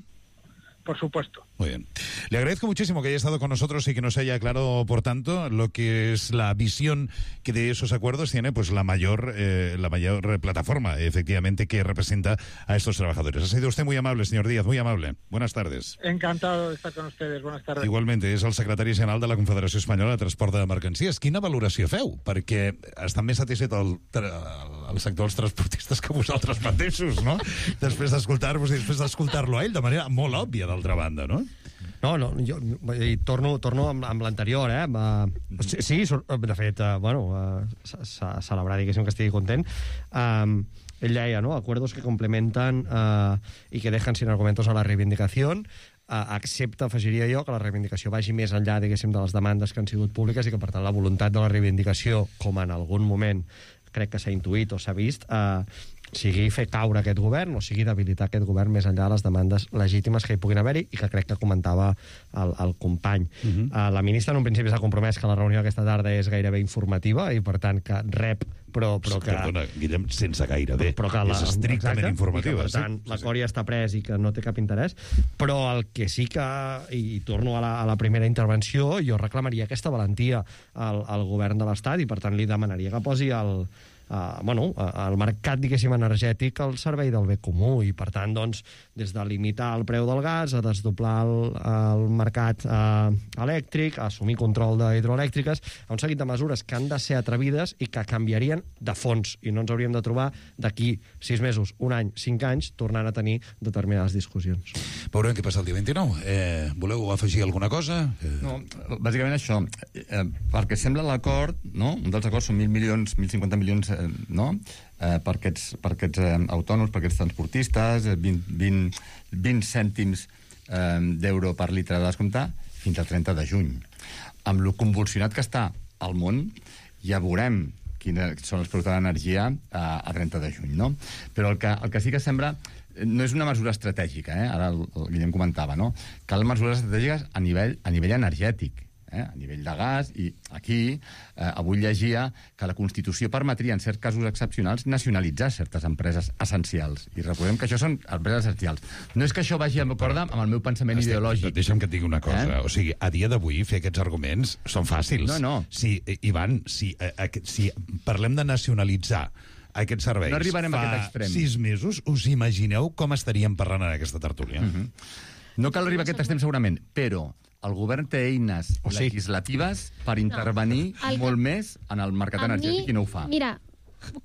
[SPEAKER 20] Por supuesto.
[SPEAKER 7] Muy bien. Le agradezco muchísimo que haya estado con nosotros y que nos haya aclarado, por tanto, lo que es la visión que de esos acuerdos tiene pues la mayor plataforma, efectivamente, que representa a estos trabajadores. Ha sido usted muy amable, señor Díaz, muy amable. Buenas tardes.
[SPEAKER 20] Encantado de estar con ustedes. Buenas tardes.
[SPEAKER 7] Igualmente, és el secretari general de la Confederació Espanyola de Transport de Mercancies. Quina valoració feu? Perquè està més satisfet el sector dels transportistes que vosaltres mateixos, no? Després d'escoltar-vos i després d'escoltar-lo a ell de manera molt òbvia, d'altra banda, no?
[SPEAKER 19] No, jo torno amb l'anterior, Sí, de fet, celebrar, diguéssim, que estigui content. Ell deia, ¿no?, acuerdos que complementan y que dejan sin argumentos a la reivindicación, excepte, afegiria jo, que la reivindicació vagi més enllà, diguéssim, de les demandes que han sigut públiques i que, per tant, la voluntat de la reivindicació, com en algun moment crec que s'ha intuït o s'ha vist, sigui fer caure aquest govern o sigui debilitar aquest govern més enllà de les demandes legítimes que hi puguin haver-hi i que crec que comentava el company. La ministra en un principi s'ha compromès que la reunió aquesta tarda és gairebé informativa i per tant que rep però que...
[SPEAKER 7] Perdona, Guillem, sense gairebé. És estrictament informativa.
[SPEAKER 19] Per tant, l'acord ja està pres i que no té cap interès, però el que sí que, i torno a la primera intervenció, jo reclamaria aquesta valentia al govern de l'Estat i per tant li demanaria que posi el mercat, diguéssim, energètic al servei del bé comú i, per tant, doncs, des de limitar el preu del gas a desdoblar el mercat elèctric, a assumir control d'hidroelèctriques, a un seguit de mesures que han de ser atrevides i que canviarien de fons i no ens hauríem de trobar d'aquí 6 mesos, un any, 5 anys, tornant a tenir determinades discussions.
[SPEAKER 7] Veurem què passa el dia 29. Voleu afegir alguna cosa?
[SPEAKER 18] No, bàsicament això, perquè sembla l'acord, no? Un dels acords són 1.050 milions no? Per aquests autònoms, per aquests transportistes, 20 cèntims d'euro per litre de descomptar fins al 30 de juny. Amb lo convulsionat que està al món, ja veurem quines són els preus de l'energia a 30 de juny, no? Però el que sí que sembla no és una mesura estratègica, ara el Guillem comentava, no? Cal mesures estratègiques a nivell energètic, a nivell de gas, i aquí avui llegia que la Constitució permetria, en certs casos excepcionals, nacionalitzar certes empreses essencials. I recordem que això són empreses essencials. No és que això vagi amb acord amb el meu pensament ideològic.
[SPEAKER 7] Deixa'm que et digui una cosa. O sigui, a dia d'avui fer aquests arguments són fàcils.
[SPEAKER 18] No.
[SPEAKER 7] Ivan, si parlem de nacionalitzar aquests serveis
[SPEAKER 18] no arribarem a aquest extrem.
[SPEAKER 7] 6 mesos, us imagineu com estaríem parlant en aquesta tertúlia?
[SPEAKER 18] No cal arribar a aquest extrem segurament, però el govern té eines legislatives per intervenir molt més en el mercat energètic i no ho fa.
[SPEAKER 17] Mira,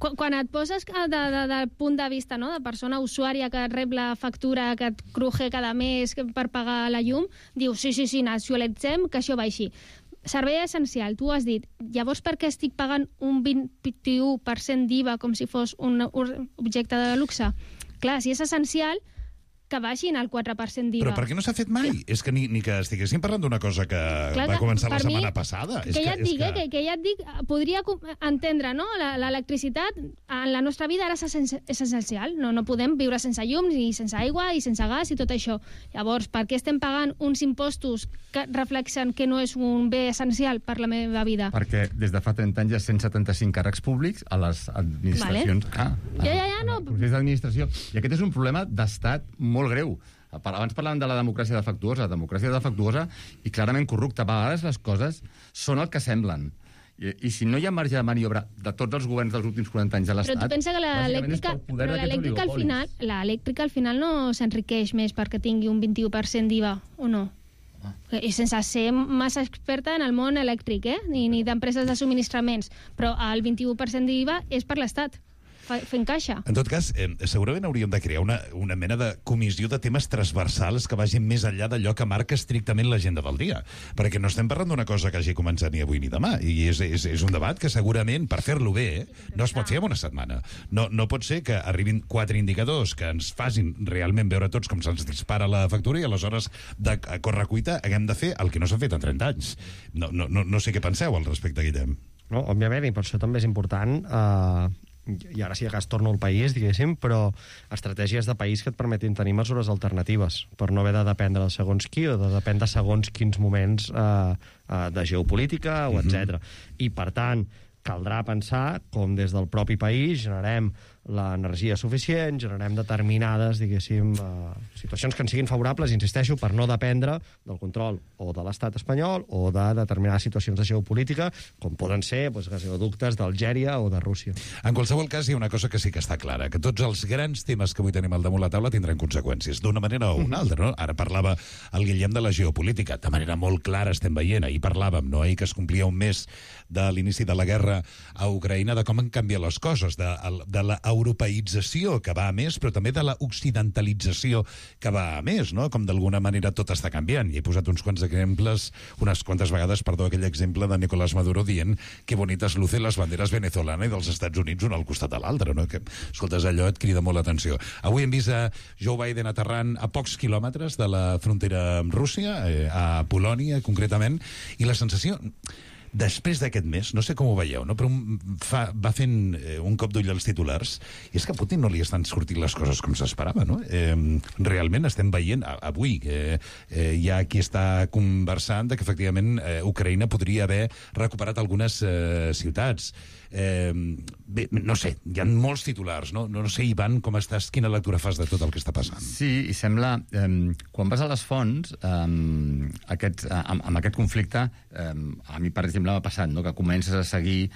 [SPEAKER 17] quan et poses del punt de vista, no?, de persona usuària que rep la factura, que et cruje cada mes per pagar la llum, dius, sí, nacionalitzem, que això va així. Servei essencial, tu has dit, llavors per què estic pagant un 21% d'IVA com si fos un objecte de luxe? Clar, si és essencial, que baixin el 4% d'IVA.
[SPEAKER 7] Però per què no s'ha fet mai? És que ni que estiguéssim parlant d'una cosa que va començar la setmana passada.
[SPEAKER 17] Que ja et dic, podria entendre, no? L'electricitat en la nostra vida ara és essencial. No podem viure sense llum, ni sense aigua, i sense gas, i tot això. Llavors, per què estem pagant uns impostos que reflexen que no és un bé essencial per la meva vida?
[SPEAKER 18] Perquè des de fa 30 anys hi ha 175 càrrecs públics a les administracions.
[SPEAKER 17] No.
[SPEAKER 18] Procés d'administració. I aquest és un problema d'estat molt greu. Abans parlàvem de la democràcia defectuosa. La democràcia defectuosa i clarament corrupta. A vegades les coses són el que semblen. I si no hi ha marge de maniobra de tots els governs dels últims 40 anys de l'Estat...
[SPEAKER 17] Però tu pensa que l'elèctrica al final no s'enriqueix més perquè tingui un 21% d'IVA, o no? I sense ser massa experta en el món elèctric, ni d'empreses de subministraments, però el 21% d'IVA és per l'Estat, fent caixa.
[SPEAKER 7] En tot cas, segurament hauríem de crear una mena de comissió de temes transversals que vagin més enllà d'allò que marca estrictament l'agenda del dia. Perquè no estem parlant d'una cosa que hagi començat ni avui ni demà. I és un debat que segurament, per fer-lo bé, no es pot fer en una setmana. No pot ser que arribin 4 indicadors que ens facin realment veure tots com se'ns dispara la factura i aleshores de correcuita haguem de fer el que no s'ha fet en 30 anys. No sé què penseu al respecte, Guillem.
[SPEAKER 19] No, òbviament, i per això també és important... i ara sí que es torna al país, diguéssim, però estratègies de país que et permetin tenir mesures alternatives per no haver de dependre de segons qui o de dependre de segons quins moments de geopolítica o etc. I, per tant, caldrà pensar com des del propi país generem l'energia suficient, generem determinades, diguéssim, situacions que ens siguin favorables, insisteixo, per no dependre del control o de l'estat espanyol o de determinades situacions de geopolítica, com poden ser gasoductes d'Algèria o de Rússia.
[SPEAKER 7] En qualsevol cas, hi ha una cosa que sí que està clara, que tots els grans temes que avui tenim al damunt la taula tindran conseqüències, d'una manera o una altra, no? Ara parlava el Guillem de la geopolítica, de manera molt clara estem veient, ahir parlàvem, no? Ahir que es complia un mes de l'inici de la guerra a Ucraïna, de com han canviat les coses, de la europeïtzació que va a més, però també de la occidentalització que va a més, no? Com d'alguna manera tot està canviant. I he posat unes quantes vegades, aquell exemple de Nicolás Maduro dient que bonitas lucen les banderes venezolana i dels Estats Units un al costat de l'altre, no? Que, escoltes, allò et crida molt l'atenció. Avui hem vist a Joe Biden aterrant a pocs quilòmetres de la frontera amb Rússia, a Polònia concretament, i la sensació... Després d'aquest mes, no sé com ho veieu, no? Però va fent un cop d'ull als titulars, i és que a Putin no li estan sortint les coses com s'esperava, no? Realment estem veient, avui, hi ha qui està conversant de que efectivament Ucraïna podria haver recuperat algunes ciutats. Bé, no sé, hi ha molts titulars, no? No sé, Ivan, com estàs, quina lectura fas de tot el que està passant?
[SPEAKER 18] Sí, i sembla, quan vas a les fonts, amb aquest conflicte, a mi, per exemple, m'ha passat, no? Que comences a seguir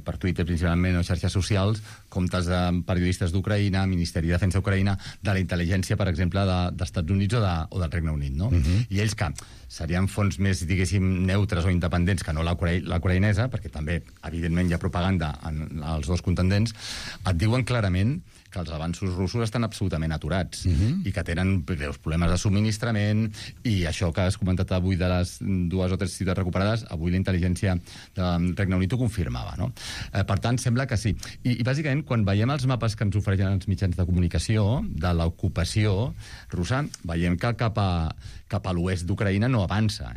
[SPEAKER 18] per Twitter principalment o xarxes socials comptes de periodistes d'Ucraïna, Ministeri de Defensa d'Ucraïna, de la intel·ligència, per exemple, d'Estats Units o del Regne Unit, no? I ells que serien fonts més, diguéssim, neutres o independents que no la ucraïnesa, perquè també, evidentment, hi ha propaganda en els dos contendents, et diuen clarament que els avanços russos estan absolutament aturats i que tenen greus problemes de subministrament, i això que has comentat avui de les 2 o 3 ciutats recuperades, avui la intel·ligència del Regne Unit ho confirmava, no? Per tant, sembla que sí. I bàsicament, quan veiem els mapes que ens ofereixen els mitjans de comunicació de l'ocupació russa, veiem que cap a l'oest d'Ucraïna no avança.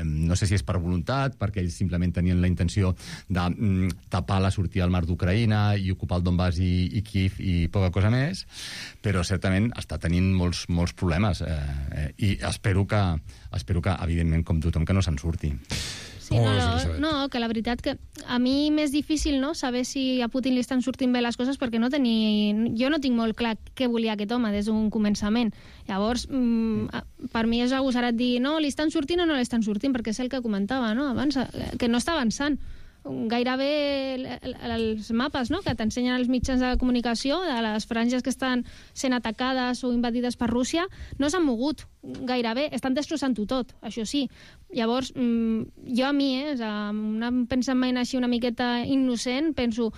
[SPEAKER 18] No sé si és per voluntat, perquè ells simplement tenien la intenció de tapar la sortida al mar d'Ucraïna i ocupar el Donbass i Kiev i poca cosa més, però certament està tenint molts problemes, i espero que, evidentment, com tothom, que no se'n surti.
[SPEAKER 17] Sí, que la veritat que a mi m'és difícil, no?, saber si a Putin li estan sortint bé les coses, perquè jo no tinc molt clar què volia aquest home des d'un començament. Llavors, per mi és agosarat dir no, li estan sortint o no li estan sortint, perquè és el que comentava, no?, abans, que no està avançant. gairebé els mapes, no?, que t'ensenyen els mitjans de comunicació de les franges que estan sent atacades o invadides per Rússia, no s'han mogut gairebé, estan destrossant-ho tot, això sí. Llavors, jo a mi, un pensament així una miqueta innocent, penso,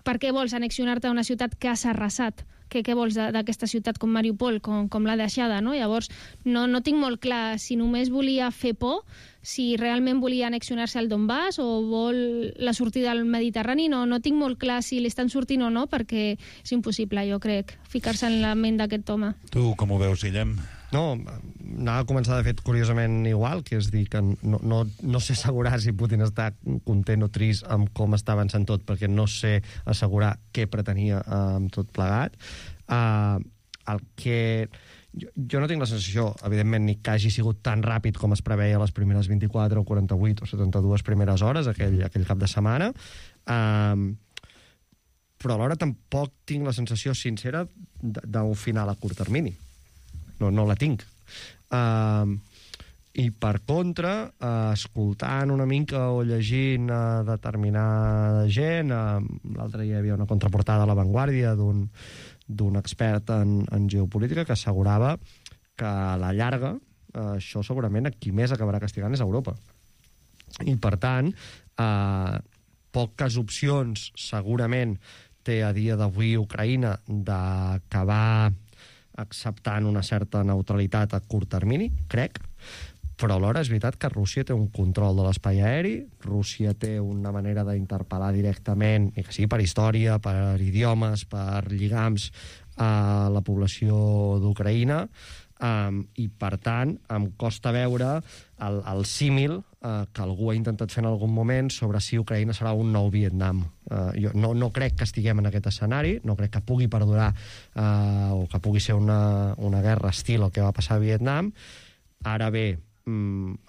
[SPEAKER 17] per què vols annexionar-te a una ciutat que has arrasat? Què vols d'aquesta ciutat com Mariupol, com l'ha deixada, no? Llavors, no tinc molt clar si només volia fer por, si realment volia annexionar-se al Donbass o vol la sortida al Mediterrani, no tinc molt clar si li estan sortint o no, perquè és impossible, jo crec, ficar-se en la ment d'aquest home.
[SPEAKER 7] Tu com ho veus, Guillem?
[SPEAKER 19] No, anava a començar, de fet, curiosament igual, que és dir que no sé assegurar si Putin està content o trist amb com està avançant tot, perquè no sé assegurar què pretenia amb tot plegat. El que... Jo no tinc la sensació, evidentment, ni que hagi sigut tan ràpid com es preveia les primeres 24 o 48 o 72 primeres hores, aquell cap de setmana, però alhora tampoc tinc la sensació sincera d'un final a curt termini. No la tinc. I per contra, escoltant una mica o llegint determinada gent, l'altre dia hi havia una contraportada a La Vanguardia d'un expert en geopolítica que assegurava que a la llarga això segurament a qui més acabarà castigant és Europa. I per tant, poques opcions segurament té a dia d'avui Ucraïna d'acabar acceptant una certa neutralitat a curt termini, crec, però alhora és veritat que Rússia té un control de l'espai aeri, Rússia té una manera d'interpel·lar directament, ni que sigui per història, per idiomes, per lligams, a la població d'Ucraïna, i per tant em costa veure el símil que algú ha intentat fer en algun moment sobre si Ucraïna serà un nou Vietnam. Jo no crec que estiguem en aquest escenari, no crec que pugui perdurar o que pugui ser una guerra estil el que va passar a Vietnam. Ara bé,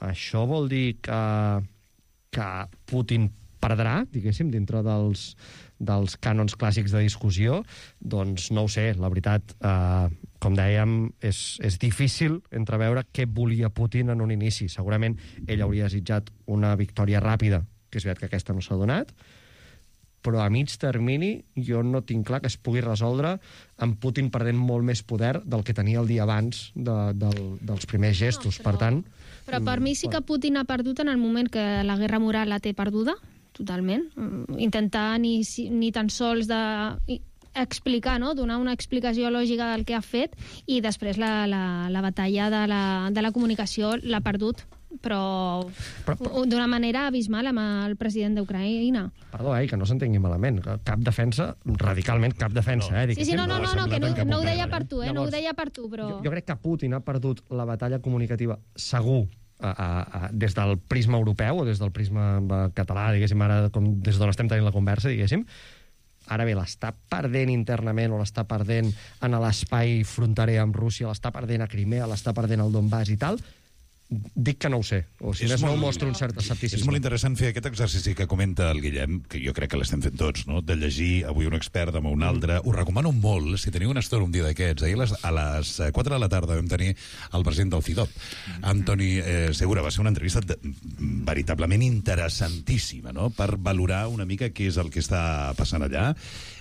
[SPEAKER 19] això vol dir que Putin perdrà, diguéssim, dintre dels cànons clàssics de discussió? Doncs no ho sé, la veritat, com dèiem, és difícil entreveure què volia Putin en un inici. Segurament ell hauria desitjat una victòria ràpida, que és veritat que aquesta no s'ha donat, però a mig termini jo no tinc clar que es pugui resoldre amb Putin perdent molt més poder del que tenia el dia abans dels primers gestos. Per tant...
[SPEAKER 17] Però per mi sí que Putin ha perdut en el moment que la guerra moral la té perduda, totalment. Intentar ni tan sols explicar, no? Donar una explicació lògica del que ha fet, i després la batalla de la comunicació l'ha perdut, però d'una manera abismal amb el president d'Ucraïna.
[SPEAKER 19] Perdó, que no s'entengui malament. Cap defensa, radicalment cap defensa.
[SPEAKER 17] Sí, no, que no ho deia per tu, no ho deia per tu, però...
[SPEAKER 19] Jo crec que Putin ha perdut la batalla comunicativa segur des del prisma europeu o des del prisma català, diguéssim, ara des d'on estem tenint la conversa, diguéssim. Ara bé, l'està perdent internament o l'està perdent en l'espai fronterer amb Rússia, l'està perdent a Crimea, l'està perdent al Donbass i tal, dic que no ho sé, o si més no mostra un cert escepticisme.
[SPEAKER 7] És molt interessant fer aquest exercici que comenta el Guillem, que jo crec que l'estem fent tots, no? De llegir avui un expert, demà un altre. Ho recomano molt, si teniu una estona un dia d'aquests. Ahir a les 4 de la tarda vam tenir el president del FIDOP, Antoni Segura. Va ser una entrevista veritablement interessantíssima, no?, per valorar una mica què és el que està passant allà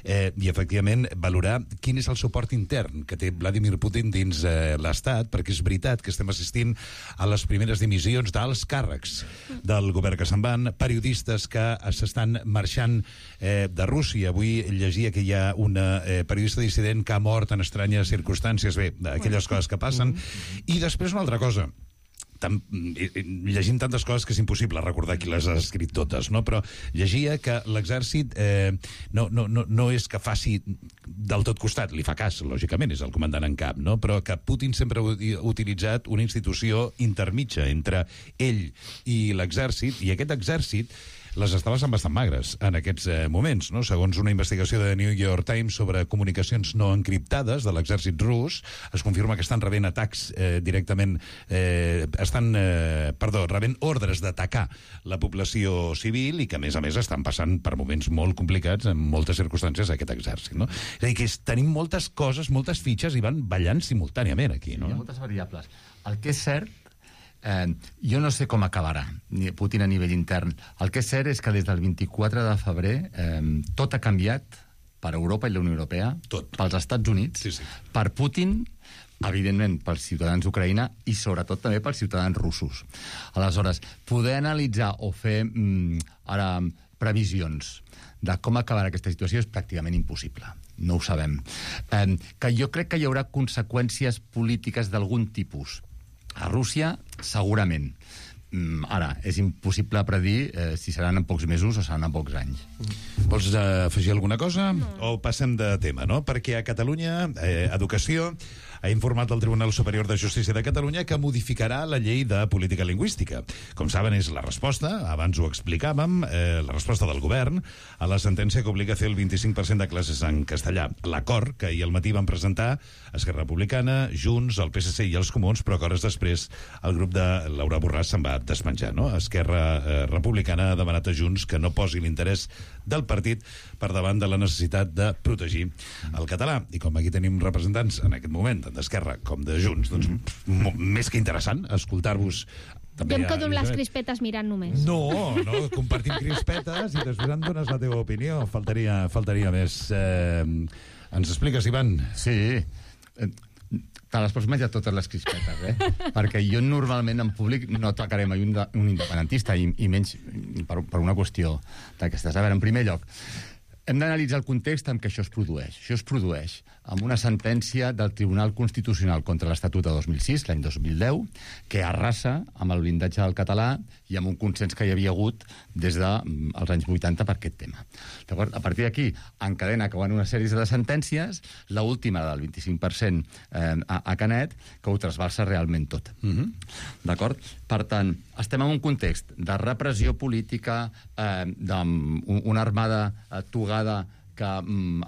[SPEAKER 7] i, efectivament, valorar quin és el suport intern que té Vladimir Putin dins l'Estat, perquè és veritat que estem assistint a les primeres dimissions d'alts càrrecs del govern que se'n van, periodistes que s'estan marxant de Rússia. Avui llegia que hi ha una periodista dissident que ha mort en estranyes circumstàncies. Bé, aquelles coses que passen. I després una altra cosa. Llegim tantes coses que és impossible recordar qui les ha escrit totes, no? Però llegia que l'exèrcit no és que faci del tot costat, li fa cas, lògicament, és el comandant en cap, no? Però que Putin sempre ha utilitzat una institució intermitja entre ell i l'exèrcit, i aquest exèrcit les estava sent bastant magres en aquests moments, no? Segons una investigació de New York Times sobre comunicacions no encriptades de l'exèrcit rus, es confirma que estan rebent atacs directament, rebent ordres d'atacar la població civil, i que, a més, estan passant per moments molt complicats en moltes circumstàncies aquest exèrcit, no? És a dir, que tenim moltes coses, moltes fitxes, i van ballant simultàniament aquí, no?
[SPEAKER 18] Hi ha moltes variables. El que és cert Jo no sé com acabarà Putin a nivell intern. El que és cert és que des del 24 de febrer tot ha canviat per Europa i la Unió Europea, pels Estats Units, per Putin, evidentment pels ciutadans d'Ucraïna i sobretot també pels ciutadans russos. Aleshores, poder analitzar o fer ara previsions de com acabarà aquesta situació és pràcticament impossible. No ho sabem. Que jo crec que hi haurà conseqüències polítiques d'algun tipus. A Rússia, segurament. Ara, és impossible predir si seran en pocs mesos o seran en pocs anys.
[SPEAKER 7] Vols afegir alguna cosa? No. O passem de tema, no? Perquè a Catalunya, Educació ha informat el Tribunal Superior de Justícia de Catalunya que modificarà la llei de política lingüística. Com saben, és la resposta, abans ho explicàvem, la resposta del govern a la sentència que obliga a fer el 25% de classes en castellà. L'acord que ahir al matí van presentar Esquerra Republicana, Junts, el PSC i els Comuns, però que hores després el grup de Laura Borràs se'n va despenjar, no? Esquerra Republicana ha demanat a Junts que no posi l'interès del partit per davant de la necessitat de protegir el català. I com aquí tenim representants en aquest moment d'Esquerra com de Junts, doncs més que interessant escoltar-vos.
[SPEAKER 17] Jo em quedo amb les crispetes mirant només.
[SPEAKER 7] No, compartim crispetes i després em dones la teva opinió. Faltaria més. Ens expliques, Ivan?
[SPEAKER 18] Sí. Te les pots menjar totes les crispetes, perquè jo normalment en públic no atacaré mai un independentista i menys per una qüestió d'aquestes. A veure, en primer lloc, hem d'analitzar el context en què això es produeix. Això es produeix amb una sentència del Tribunal Constitucional contra l'Estatut de 2006, l'any 2010, que arrasa amb el blindatge del català i amb un consens que hi havia hagut des dels anys 80 per aquest tema. A partir d'aquí, encadena que van una sèrie de sentències, l'última del 25% a Canet, que ho trasbalsa realment tot. D'acord? Per tant, estem en un context de repressió política, d'una armada togada que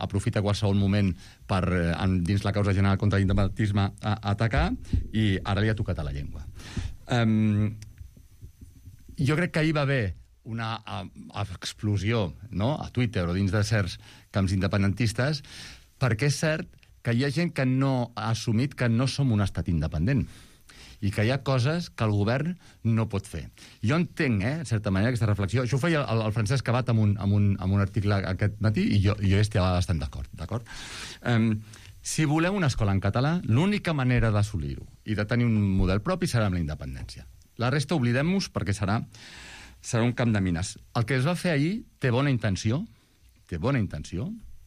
[SPEAKER 18] aprofita qualsevol moment per, dins la causa general contra l'independentisme, atacar, i ara li ha tocat a la llengua. Jo crec que ahir va haver una explosió, no?, a Twitter o dins de certs camps independentistes, perquè és cert que hi ha gent que no ha assumit que no som un estat independent i que hi ha coses que el govern no pot fer. Jo entenc, en certa manera, aquesta reflexió. Això ho feia el Francesc Abad amb un article aquest matí i jo hi estava bastant d'acord. Si volem una escola en català, l'única manera d'assolir-ho i de tenir un model propi serà amb la independència. La resta oblidem-nos perquè serà un camp de mines. El que es va fer ahir té bona intenció,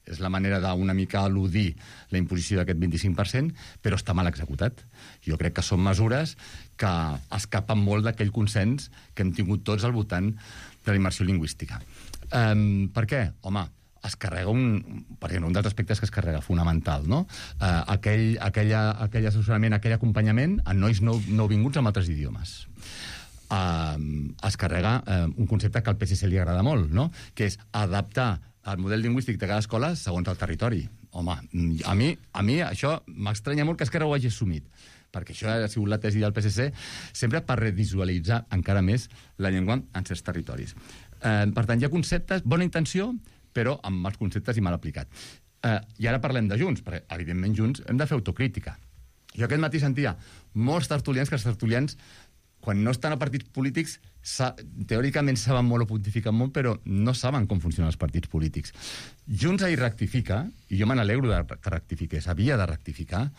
[SPEAKER 18] és la manera d'una mica eludir la imposició d'aquest 25%, però està mal executat. Jo crec que són mesures que escapen molt d'aquell consens que hem tingut tots al voltant de la immersió lingüística. Per què? Home, es carrega per exemple, un dels aspectes que es carrega fonamental, no? Aquell assessorament, aquell acompanyament a nois nouvinguts amb altres idiomes. Es carrega un concepte que al PSC li agrada molt, no?, que és adaptar el model lingüístic de cada escola segons el territori. Home, a mi això m'estranya molt que Esquerra ho hagi assumit, perquè això ha sigut la tesi del PSC, sempre per revisualitzar encara més la llengua en certs territoris. Per tant, hi ha conceptes, bona intenció, però amb mals conceptes i mal aplicat. I ara parlem de Junts, perquè, evidentment, Junts hem de fer autocrítica. Jo aquest matí sentia molts tertulians que els tertulians, quan no estan a partits polítics, teòricament saben molt o pontifiquen molt, però no saben com funcionen els partits polítics. Junts ahir rectifica, i jo me n'alegro que rectifiqués, havia de rectificar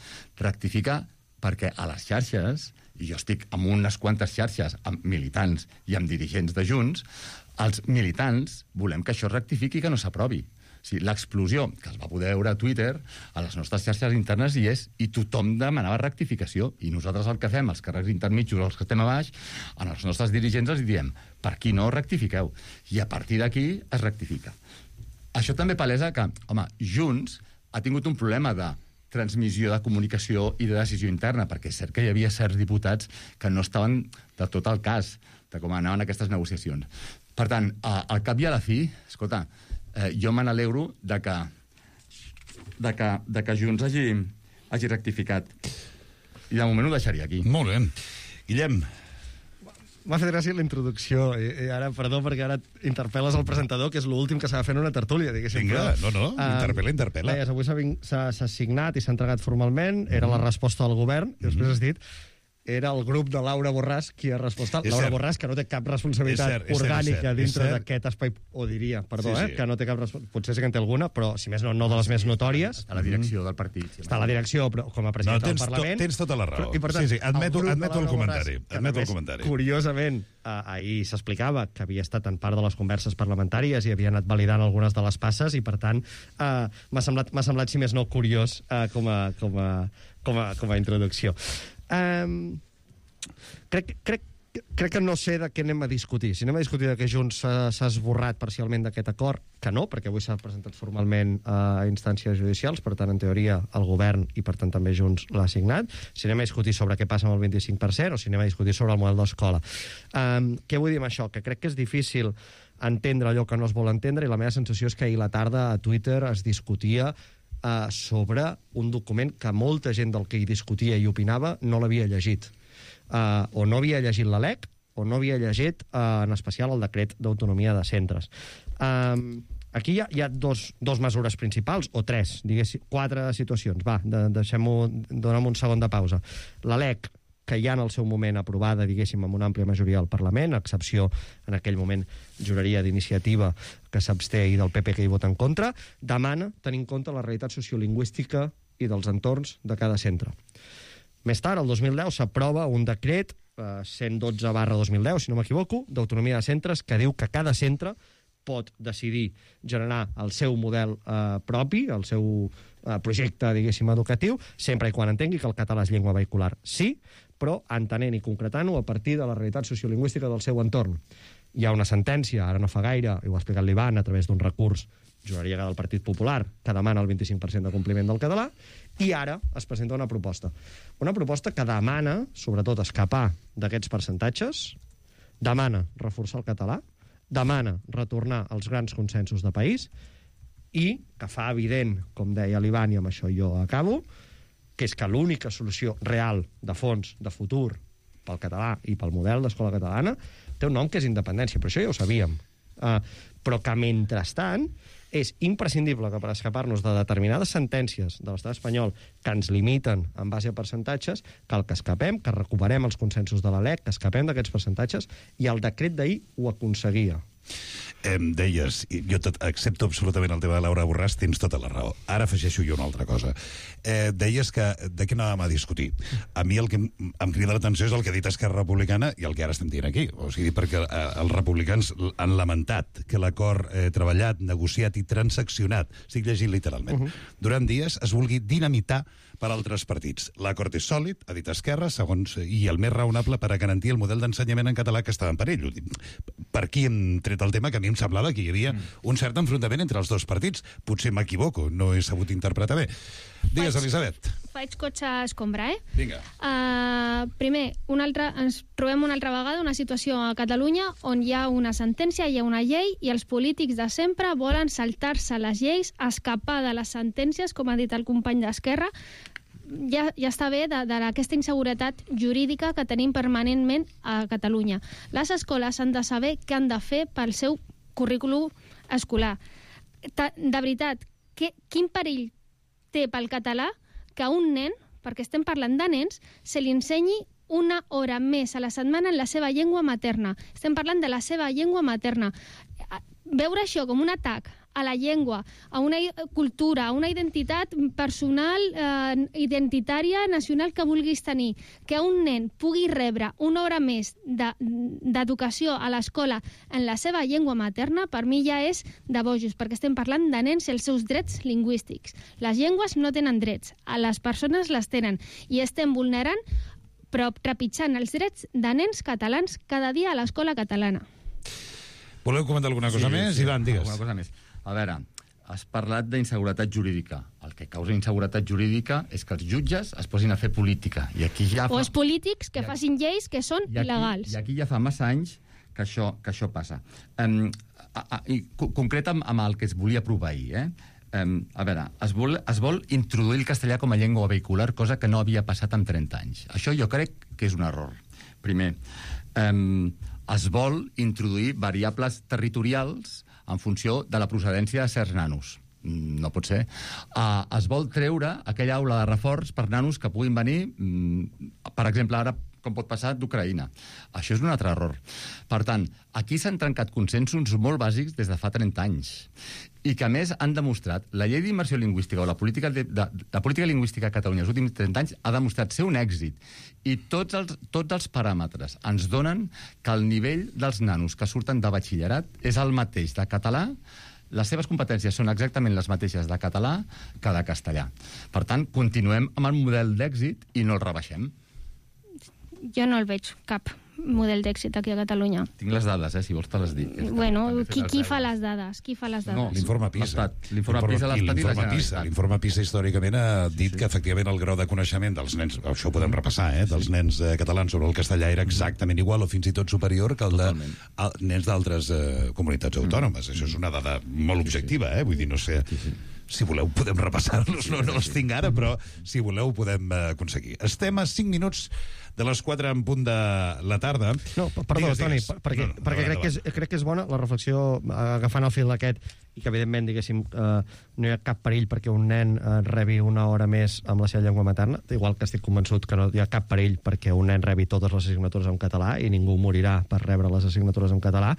[SPEAKER 18] perquè a les xarxes, i jo estic en unes quantes xarxes amb militants i amb dirigents de Junts, els militants volem que això rectifiqui i que no s'aprovi. L'explosió que es va poder veure a Twitter, a les nostres xarxes internes i tothom demanava rectificació, i nosaltres el que fem, els càrrecs intermitjos, els que estem a baix, a els nostres dirigents els diem, per aquí no rectifiqueu, i a partir d'aquí es rectifica. Això també palesa que, home, Junts ha tingut un problema de transmissió de comunicació i de decisió interna, perquè és cert que hi havia certs diputats que no estaven de tot el cas de com anaven aquestes negociacions. Per tant, al cap i a la fi, escolta, jo me n'alegro de que Junts hagi rectificat. I de moment ho deixaria aquí.
[SPEAKER 7] Molt bé. Guillem.
[SPEAKER 19] M'ha fet gràcia la introducció. I ara, perdó, perquè ara interpel·les el presentador, que és l'últim que s'ha de fer en una tertúlia, diguéssim.
[SPEAKER 7] Vinga, no, interpel·la.
[SPEAKER 19] Avui s'ha signat i s'ha entregat formalment, era la resposta del govern, i després has dit, era el grup de Laura Borràs qui ha respost.
[SPEAKER 7] És
[SPEAKER 19] Laura
[SPEAKER 7] cert.
[SPEAKER 19] Borràs, que no té cap responsabilitat orgànica dintre d'aquest espai, o diria, perdó,
[SPEAKER 7] Sí, sí.
[SPEAKER 19] que no té cap responsabilitat, potser sí que en té alguna, però si més no de les més notòries.
[SPEAKER 18] A la direcció del partit.
[SPEAKER 19] Està a la direcció, però com a president del Parlament.
[SPEAKER 7] Tens tota la raó.
[SPEAKER 19] I, per tant,
[SPEAKER 7] Sí, admeto
[SPEAKER 19] grup de
[SPEAKER 7] el
[SPEAKER 19] Laura
[SPEAKER 7] comentari.
[SPEAKER 19] Borràs, que
[SPEAKER 7] Admeto el
[SPEAKER 19] només,
[SPEAKER 7] comentari.
[SPEAKER 19] Curiosament, ahir s'explicava que havia estat en part de les converses parlamentàries i havia anat validant algunes de les passes i, per tant, m'ha semblat, si més no, curiós com a introducció. Crec que no sé de què anem a discutir. Si anem a discutir que Junts s'ha esborrat parcialment d'aquest acord, que no, perquè avui s'ha presentat formalment a instàncies judicials, per tant, en teoria, el govern i, per tant, també Junts l'ha signat. Si anem a discutir sobre què passa amb el 25% o si anem a discutir sobre el model d'escola. Què vull dir amb això? Que crec que és difícil entendre allò que no es vol entendre i la meva sensació és que ahir a la tarda a Twitter es discutia sobre un document que molta gent del que hi discutia i opinava no l'havia llegit. O no havia llegit la LEC o no havia llegit, en especial, el decret d'autonomia de centres. Aquí hi ha dos mesures principals, o tres, diguéssim, 4 situacions. Va, donem un segon de pausa. La LEC, que ja en el seu moment aprovada, diguéssim, amb una àmplia majoria del Parlament, a excepció, en aquell moment, juraria d'Iniciativa, que s'absté, i del PP, que hi vota en contra, demana tenir en compte la realitat sociolingüística i dels entorns de cada centre. Més tard, el 2010, s'aprova un decret 112/2010, si no m'equivoco, d'autonomia de centres, que diu que cada centre pot decidir generar el seu model propi, el seu projecte, diguéssim, educatiu, sempre i quan entengui que el català és llengua vehicular. Sí, però entenent i concretant-ho a partir de la realitat sociolingüística del seu entorn. Hi ha una sentència, ara no fa gaire, i ho ha explicat l'Ivan, a través d'un recurs, juraria que del Partit Popular, que demana el 25% de compliment del català, i ara es presenta una proposta. Una proposta que demana, sobretot, escapar d'aquests percentatges, demana reforçar el català, demana retornar als grans consensos de país i que fa evident, com deia l'Ivan, i amb això jo acabo, que és que l'única solució real, de fons, de futur, pel català i pel model d'escola catalana, té un nom que és independència, però això ja ho sabíem. Però que, mentrestant, és imprescindible que per escapar-nos de determinades sentències de l'estat espanyol que ens limiten en base a percentatges, cal que escapem, que recuperem els consensos de la LEC, que escapem d'aquests percentatges, i el decret d'ahir ho aconseguia.
[SPEAKER 7] Deies, jo accepto absolutament el tema de Laura Borràs, tens tota la raó. Ara afegeixo jo una altra cosa. Deies que de què anàvem a discutir. A mi el que em crida l'atenció és el que ha dit Esquerra Republicana i el que ara estem dient aquí. O sigui, perquè els republicans han lamentat que l'acord treballat, negociat i transaccionat, estic llegint literalment, durant dies es vulgui dinamitar per altres partits. L'acord és sòlid, ha dit Esquerra, segons, i el més raonable per a garantir el model d'ensenyament en català que estava en perill. Per aquí hem tret el tema, que a mi em semblava que hi havia un cert enfrontament entre els dos partits. Potser m'equivoco, no he sabut interpretar bé. Digues, Elisabet.
[SPEAKER 17] Faig cotxe a escombra,
[SPEAKER 7] Vinga.
[SPEAKER 17] Primer, ens trobem una altra vegada una situació a Catalunya on hi ha una sentència, hi ha una llei, i els polítics de sempre volen saltar-se les lleis, escapar de les sentències, com ha dit el company d'Esquerra. Ja està bé d'aquesta inseguretat jurídica que tenim permanentment a Catalunya. Les escoles han de saber què han de fer pel seu currículum escolar. De veritat, quin perill té pel català que a un nen, perquè estem parlant de nens, se li ensenyi una hora més a la setmana en la seva llengua materna. Estem parlant de la seva llengua materna. Veure això com un atac a la llengua, a una cultura, a una identitat personal, identitària, nacional que vulguis tenir, que un nen pugui rebre una hora més d'educació a l'escola en la seva llengua materna, per mi ja és de bojos, perquè estem parlant de nens i els seus drets lingüístics. Les llengües no tenen drets, a les persones les tenen, i estem vulnerant, però trepitjant els drets de nens catalans cada dia a l'escola catalana.
[SPEAKER 7] Voleu comentar alguna cosa més? Ivan, digues.
[SPEAKER 18] Alguna cosa més. A veure, has parlat d'inseguretat jurídica. El que causa inseguretat jurídica és que els jutges es posin a fer política. I aquí ja
[SPEAKER 17] o els polítics que facin lleis que són il·legals.
[SPEAKER 18] I aquí ja fa massa anys que això passa. Concret amb el que es volia aprovar ahir, a veure, es vol introduir el castellà com a llengua vehicular, cosa que no havia passat en 30 anys. Això jo crec que és un error. Primer, es vol introduir variables territorials en funció de la procedència de certs nanos. No pot ser. Es vol treure aquella aula de reforç per nanos que puguin venir, per exemple, ara com pot passar d'Ucraïna. Això és un altre error. Per tant, aquí s'han trencat consensos molt bàsics des de fa 30 anys i que, a més, han demostrat la llei d'immersió lingüística o la política lingüística a Catalunya els últims 30 anys ha demostrat ser un èxit. I tots els paràmetres ens donen que el nivell dels nanos que surten de batxillerat és el mateix de català. Les seves competències són exactament les mateixes de català que de castellà. Per tant, continuem amb el model d'èxit i no el rebaixem.
[SPEAKER 17] Jo no el veig, cap model d'èxit aquí a Catalunya.
[SPEAKER 18] Tinc les dades, si vols te les dic.
[SPEAKER 17] Bueno, qui fa les dades? Qui fa les dades?
[SPEAKER 7] No, l'informe PISA.
[SPEAKER 18] L'informe
[SPEAKER 7] PISA històricament ha dit que efectivament el grau de coneixement dels nens, això ho podem repassar, dels nens catalans sobre el castellà era exactament igual o fins i tot superior que el de nens d'altres comunitats autònomes. Això és una dada molt objectiva, vull dir, no sé... Si voleu, podem repassar-los. No els tinc ara, però si voleu, podem aconseguir. Estem a 5 minuts de les 4 en punt de la tarda.
[SPEAKER 19] No, perdó, Toni, perquè crec que és bona la reflexió agafant el fil aquest i que, evidentment, diguéssim, no hi ha cap perill perquè un nen rebi una hora més amb la seva llengua materna, igual que estic convençut que no hi ha cap perill perquè un nen rebi totes les assignatures en català i ningú morirà per rebre les assignatures en català,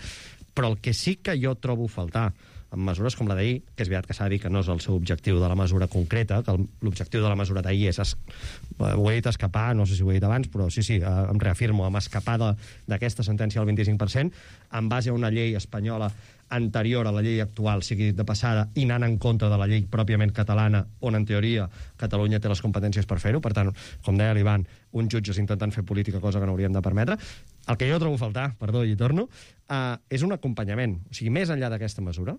[SPEAKER 19] però el que sí que jo trobo faltar amb mesures com la d'ahir, que és veritat que s'ha de dir que no és el seu objectiu de la mesura concreta, que l'objectiu de la mesura d'ahir és, ho he dit, escapar, no sé si ho he dit abans, però sí, em reafirmo, amb escapar d'aquesta sentència del 25%, en base a una llei espanyola anterior a la llei actual, sigui de passada, i anant en contra de la llei pròpiament catalana, on en teoria Catalunya té les competències per fer-ho. Per tant, com deia l'Ivan, uns jutges intentant fer política, cosa que no hauríem de permetre. El que jo trobo a faltar, perdó, i torno, és un acompanyament. O sigui, més enllà d'aquesta mesura,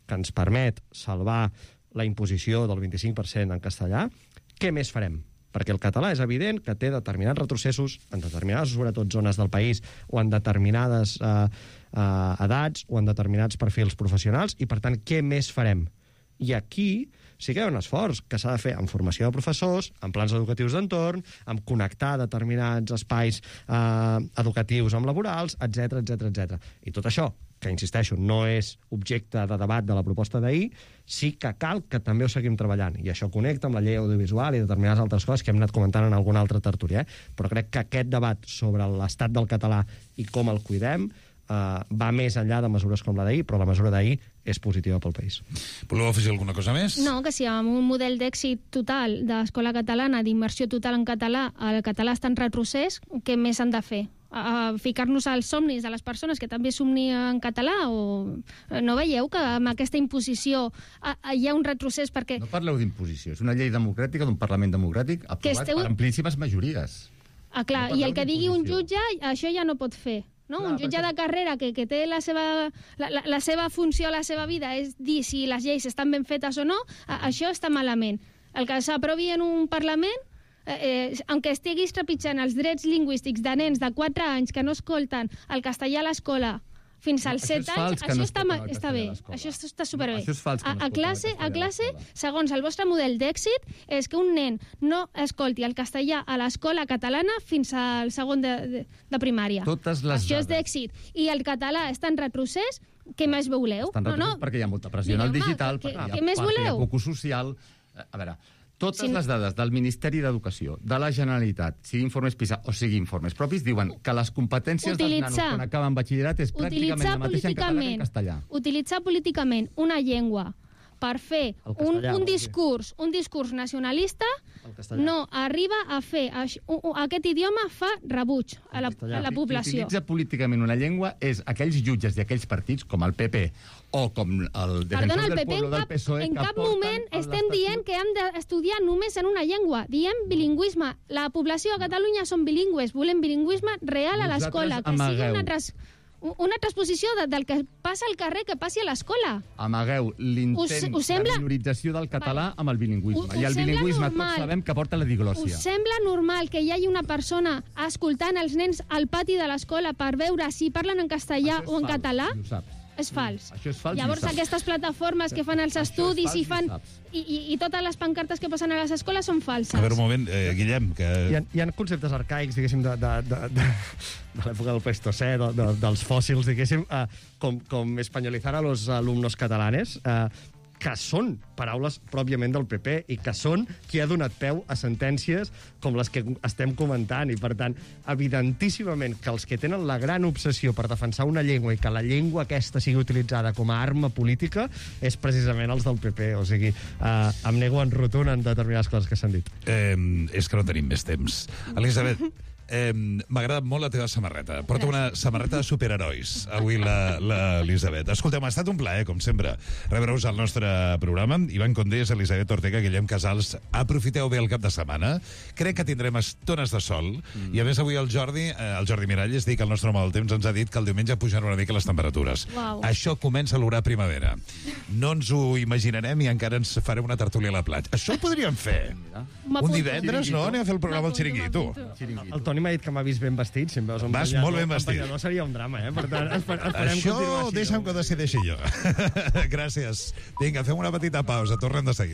[SPEAKER 19] que ens permet salvar la imposició del 25% en castellà, què més farem? Perquè el català és evident que té determinats retrocessos en determinades, sobretot, zones del país o en determinades edats o en determinats perfils professionals i, per tant, què més farem? I aquí sí que hi ha un esforç que s'ha de fer en formació de professors, en plans educatius d'entorn, en connectar determinats espais educatius amb laborals, etc etc. I tot això, que, insisteixo, no és objecte de debat de la proposta d'ahir, sí que cal que també ho seguim treballant. I això connecta amb la llei audiovisual i determinades altres coses que hem anat comentant en alguna altra tertúlia. Però crec que aquest debat sobre l'estat del català i com el cuidem va més enllà de mesures com la d'ahir, però la mesura d'ahir és positiva pel país.
[SPEAKER 7] Voleu afegir alguna cosa més?
[SPEAKER 17] No, que si amb un model d'èxit total d'escola catalana, d'immersió total en català, el català està en retrocés, què més han de fer? Ficar-nos als somnis de les persones que també somnien en català? O no veieu que amb aquesta imposició hi ha un retrocés perquè...
[SPEAKER 18] No parleu d'imposició, és una llei democràtica d'un Parlament democràtic aprovat per amplíssimes majories.
[SPEAKER 17] Clar, i el que digui un jutge, això ja no pot fer. No? Clar, un jutge de carrera que té la seva funció, la seva vida, és dir si les lleis estan ben fetes o no, això està malament. El que s'aprovi en un Parlament, aunque estiguis trepitjant els drets lingüístics de nens de 4 anys que no escolten el castellà a l'escola fins als 7 anys, això està bé, això està superbé. A classe, segons el vostre model d'èxit, és que un nen no escolti el castellà a l'escola catalana fins al segon de primària. Això és d'èxit. I el català està en retrocés, què més voleu?
[SPEAKER 18] Està en retrocés perquè hi ha molta pressió en el digital, perquè hi ha poc social. A veure... Totes les dades del Ministeri d'Educació, de la Generalitat, sigui informes PISA o sigui informes propis, diuen que les competències dels nanos quan acaben batxillerat és pràcticament la mateixa en català que en castellà.
[SPEAKER 17] Utilitzar políticament una llengua per fer un discurs nacionalista no arriba a fer... Aquest idioma fa rebuig a la població.
[SPEAKER 18] Qui utilitza políticament una llengua és aquells jutges i aquells partits, com el PP o com el Defensor del Pueblo del PSOE...
[SPEAKER 17] En cap moment estem dient que hem d'estudiar només en una llengua. Diem bilingüisme. La població a Catalunya són bilingües. Volem bilingüisme real a l'escola. Que sigui una transposició del que passa al carrer que passi a l'escola.
[SPEAKER 18] Amagueu l'intent de minorització del català amb el bilingüisme. I el bilingüisme tots sabem que porta la diglòssia.
[SPEAKER 17] Us sembla normal que hi hagi una persona escoltant els nens al pati de l'escola per veure si parlen en castellà o en català? És fals.
[SPEAKER 18] Això és fals.
[SPEAKER 17] Llavors aquestes plataformes que fan els estudis i totes les pancartes que posen a les escoles són falses.
[SPEAKER 7] A veure, un moment, Guillem, que...
[SPEAKER 19] Hi ha conceptes arcaics, diguéssim, de l'època del Pleistocè, dels fòssils, diguéssim, com espanyolitzar a los alumnos catalanes, que són paraules pròpiament del PP i que són qui ha donat peu a sentències com les que estem comentant. I, per tant, evidentíssimament que els que tenen la gran obsessió per defensar una llengua i que la llengua aquesta sigui utilitzada com a arma política és precisament els del PP. O sigui, em nego en rotund en determinades coses que s'han dit.
[SPEAKER 7] És que no tenim més temps. Elisabet, m'ha agradat molt la teva samarreta. Porta una samarreta de superherois avui l'Elisabet. Escolteu, m'ha estat un plaer, com sempre, rebre-us al nostre programa. Ivan Condés, Elisabet Ortega, Guillem Casals. Aprofiteu bé el cap de setmana. Crec que tindrem estones de sol. I a més avui el Jordi Miralles, dic, el nostre home del temps, ens ha dit que el diumenge pujaran una mica les temperatures.
[SPEAKER 17] Uau.
[SPEAKER 7] Això comença a olorar primavera. No ens ho imaginarem i encara ens farem una tertúlia a la platja. Això ho podríem fer. Un divendres, no? Anem a fer el programa al Xiringuito.
[SPEAKER 19] El Toni m'ha dit que m'ha vist ben vestit. Si em veus
[SPEAKER 7] vas molt ben vestit.
[SPEAKER 19] No seria un drama, eh? Per tant, esperem
[SPEAKER 7] això deixa'm que ho decideixi jo. Gràcies. Vinga, fem una petita pausa. Tornem de seguida.